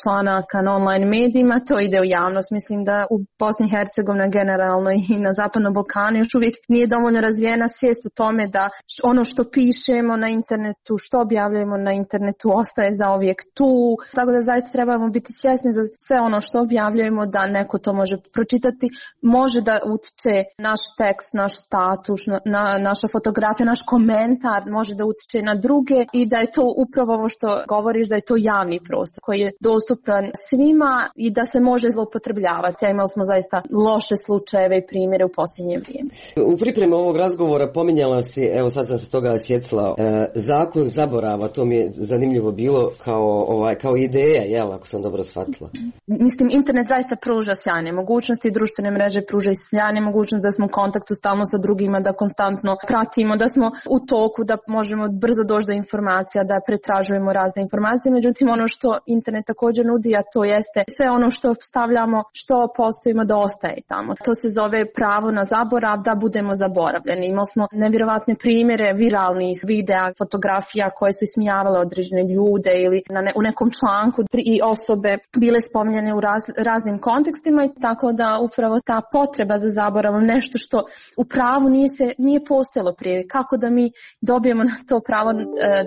članaka na online medijima, to ide u javnost. Mislim da u Bosni i Hercegovini generalno i na Zapadnom Balkanu još uvijek nije dovoljno razvijena svijest o tome da ono što pišemo na internetu, što objavljujemo na internetu ostaje zauvijek tu. Tako da zaista trebamo biti svjesni za sve ono što objavljujemo da neko to može pročitati, može da utiče naš tekst, naš status, naša fotografija, naš komentar, može da utiče na druge i da je to upravo ovo što govoriš, da je to javni prostor koji je dostupan svima i da se može zloupotrebljavati. A imali smo zaista loše slučajeve i primjere u posljednje vrijeme. U pripremi ovog razgovora pominjala si, evo sad sam se toga sjetila, zakon zaborava, to mi je zanimljivo bilo kao ideja, jel, ako sam dobro shvatila. Mislim, internet zaista pruža sjajne mogućnosti, društvene mreže pruža i sjajne mogućnosti da smo u kontaktu stalno sa drugima, da konstantno pratimo, da smo u toku, da možemo brzo doći do informacija, da pretražujemo razne informacije. Međutim, ono što internet također nudi, a to jeste sve ono što stavljamo, što postojimo, da ostaje tamo. To se zove pravo na zaborav, da budemo zaboravljeni. Imali smo nevjerovatne primjere viralnih videa, fotografija koje su ismijavale određene ljude ili u nekom članku i osobe bile spominjane u raznim kontekstima, i tako da upravo ta potreba za zaboravom, nešto što u pravu nije postojalo prije. Kako da mi dobijemo to pravo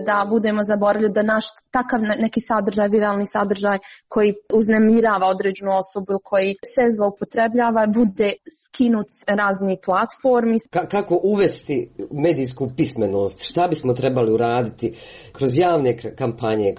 da budemo zaboravljeni, da naš takav neki sadržaj, viralni sadržaj koji uznemirava određenu osobu ili koji se zloupotrebljava, bude skinut s raznih platformi. Kako uvesti medijsku pismenost? Šta bismo trebali uraditi kroz javne kampanje,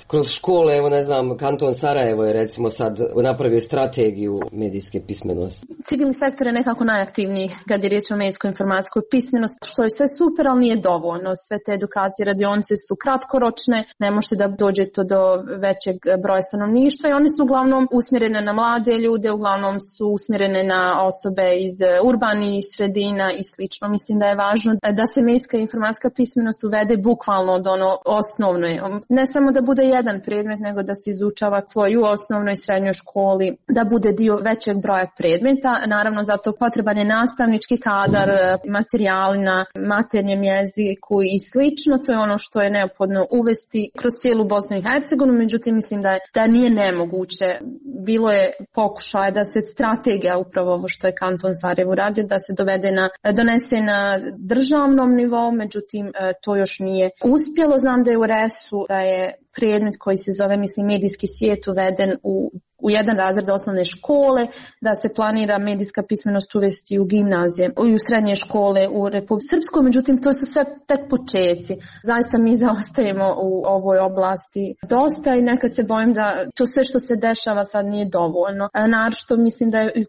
kroz škole? Evo, ne znam, kanton Sarajevo je recimo sad napravio strategiju medijske pismenosti. Civilni sektor je nekako najaktivniji kad je riječ o medijskoj informacijskoj pismenosti, što je sve super, ali nije dovoljno. Sve te edukacije, radionice su kratkoročne, ne možete da dođete do većeg broja stanovništva i one su uglavnom usmjerene na mlade ljude, uglavnom su usmjerene na osobe iz urbanih sredina i slično. Mislim da je važno da se medijska informacijska pismenost uvede bukvalno od ono osnovno. Ne samo da bude jedan predmet, nego da se izučava tvoj u osnovnoj i srednjoj školi, da bude dio većeg broja predmeta. Naravno, zato potreban je nastavnički kadar, materijali na maternjem jeziku i slično. To je ono što je neophodno uvesti kroz cijelu Bosnu i Hercegovinu, međutim mislim da nije nemoguće. Bilo je pokušaj da se strategija, upravo ovo što je kanton Sarajevo radio, da se donese na državnom nivou, međutim to još nije uspjelo. Znam da je u RES-u da je predmet koji se zove, mislim, medijski svijet uveden u jedan razred osnovne škole, da se planira medijska pismenost uvesti u gimnazije i u srednje škole u Republici Srpskoj, međutim to su sve tek počeci. Zaista mi zaostajemo u ovoj oblasti dosta i nekad se bojim da to sve što se dešava sad nije dovoljno. Naročito mislim da je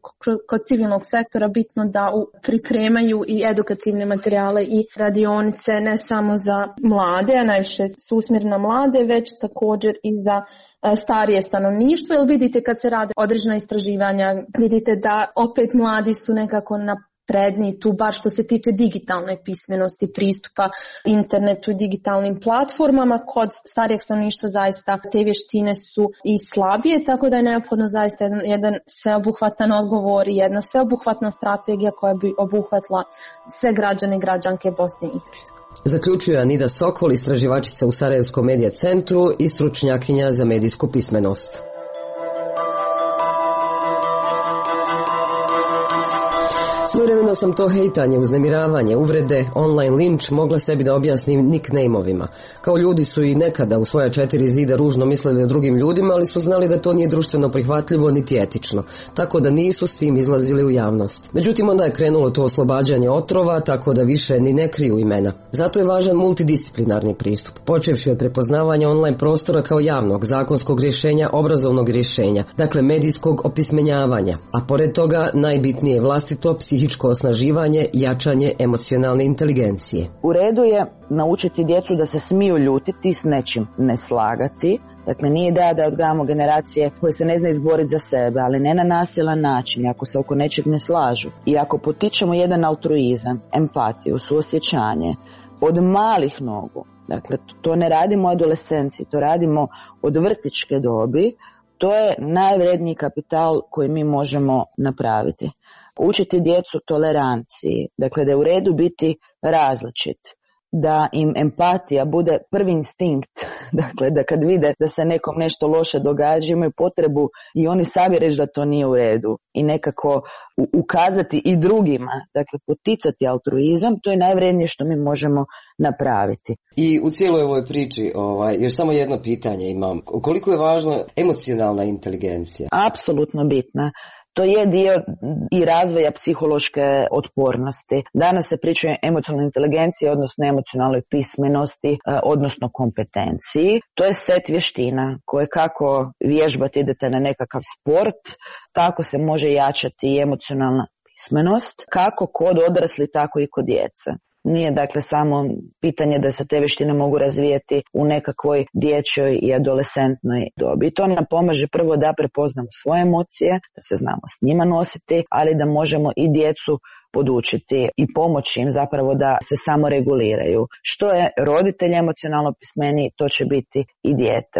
kod civilnog sektora bitno da pripremaju i edukativne materijale i radionice ne samo za mlade, a najviše su usmjerene na mlade, već također i za starije stanovništvo, jer vidite kad se rade određena istraživanja, vidite da opet mladi su nekako napredniji tu, bar što se tiče digitalne pismenosti, pristupa internetu i digitalnim platformama. Kod starijeg stanovništva zaista te vještine su i slabije, tako da je neophodno zaista jedan sveobuhvatan odgovor i jedna sveobuhvatna strategija koja bi obuhvatila sve građane i građanke Bosne i Hercegovine. Zaključuje Anida Sokol, istraživačica u Sarajevskom medija centru i stručnjakinja za medijsku pismenost. Svojevremeno sam to hejtanje, uznemiravanje, uvrede, online linč mogla sebi da objasnim nickname-ovima. Kao ljudi su i nekada u svoja 4 zida ružno mislili o drugim ljudima, ali su znali da to nije društveno prihvatljivo niti etično, tako da nisu s tim izlazili u javnost. Međutim, onda je krenulo to oslobađanje otrova, tako da više ni ne kriju imena. Zato je važan multidisciplinarni pristup, počevši od prepoznavanja online prostora kao javnog, zakonskog rješenja, obrazovnog rješenja, dakle medijskog opismenjavanja, a pored toga najbitnije je vlastito psihičko osnaživanje, jačanje emocionalne inteligencije. U redu je naučiti djecu da se smiju ljutiti, s nečim ne slagati. Dakle, nije ideja da odgajamo generacije koje se ne zna izboriti za sebe, ali ne na nasilan način, ako se oko nečeg ne slažu. I ako potičemo jedan altruizam, empatiju, suosjećanje od malih nogu, dakle, to ne radimo u adolescenciji, to radimo od vrtićke dobi, to je najvredniji kapital koji mi možemo napraviti. Učiti djecu toleranciji, dakle da je u redu biti različit, da im empatija bude prvi instinkt, dakle da kad vide da se nekom nešto loše događa imaju potrebu i oni sami reći da to nije u redu i nekako ukazati i drugima, dakle poticati altruizam, to je najvrednije što mi možemo napraviti. I u cijeloj ovoj priči, još samo jedno pitanje imam, koliko je važna emocionalna inteligencija? Apsolutno bitna. To je dio i razvoja psihološke otpornosti. Danas se priča o emocionalnoj inteligenciji, odnosno emocionalnoj pismenosti, odnosno kompetenciji. To je set vještina koje kako vježbati, idete na nekakav sport, tako se može jačati i emocionalna pismenost, kako kod odrasli, tako i kod djece. Nije dakle samo pitanje da se te vještine mogu razvijeti u nekakvoj dječjoj i adolescentnoj dobi. I to nam pomaže prvo da prepoznamo svoje emocije, da se znamo s njima nositi, ali da možemo i djecu podučiti i pomoći im zapravo da se samo reguliraju. Što je roditelj emocionalno pismeniji, to će biti i dijete.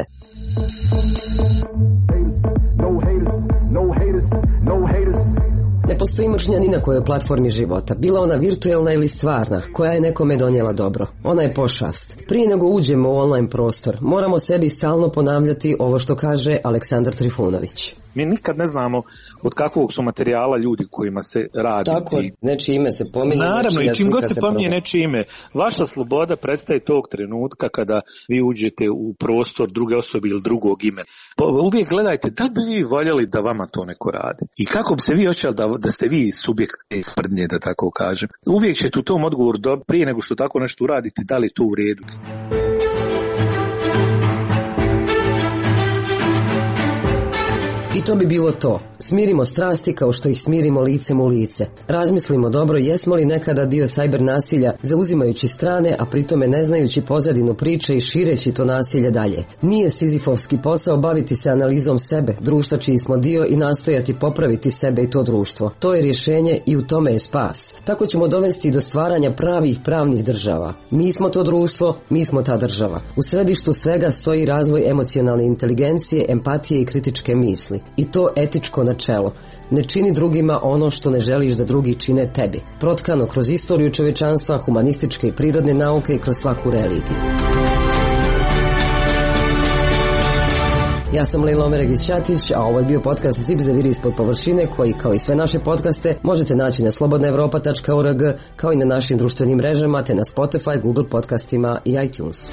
Ne postoji mržnja ni na kojoj platformi života, bila ona virtualna ili stvarna, koja je nekome donijela dobro. Ona je pošast. Prije nego uđemo u online prostor, moramo sebi stalno ponavljati ovo što kaže Aleksandar Trifunović. Mi nikad ne znamo od kakvog su materijala ljudi kojima se radi. Tako, nečije ime se pominje. Naravno, i čim god se pominje nečije ime, vaša sloboda prestaje tog trenutka kada vi uđete u prostor druge osobe ili drugog imena. Uvijek gledajte da bi vi voljeli da vama to neko radi. I kako bi se vi osjećali da ste vi subjekt sprdnje, da tako kažem. Uvijek ćete u tom odgovoru prije nego što tako nešto uradite, da li je to u redu. I to bi bilo to. Smirimo strasti kao što ih smirimo licem u lice. Razmislimo dobro jesmo li nekada dio sajber nasilja, zauzimajući strane, a pritome ne znajući pozadinu priče i šireći to nasilje dalje. Nije sizifovski posao baviti se analizom sebe, društva čiji smo dio i nastojati popraviti sebe i to društvo. To je rješenje i u tome je spas. Tako ćemo dovesti do stvaranja pravih pravnih država. Mi smo to društvo, mi smo ta država. U središtu svega stoji razvoj emocionalne inteligencije, empatije i kritičke misli. I to etičko načelo. Ne čini drugima ono što ne želiš da drugi čine tebi. Protkano kroz istoriju čovječanstva, humanističke i prirodne nauke i kroz svaku religiju. Ja sam Lejla Omeregić-Ćatić, a ovo je bio podcast Zip zaviri ispod površine, koji kao i sve naše podcaste možete naći na slobodnaevropa.org, kao i na našim društvenim mrežama te na Spotify, Google podcastima i iTunesu.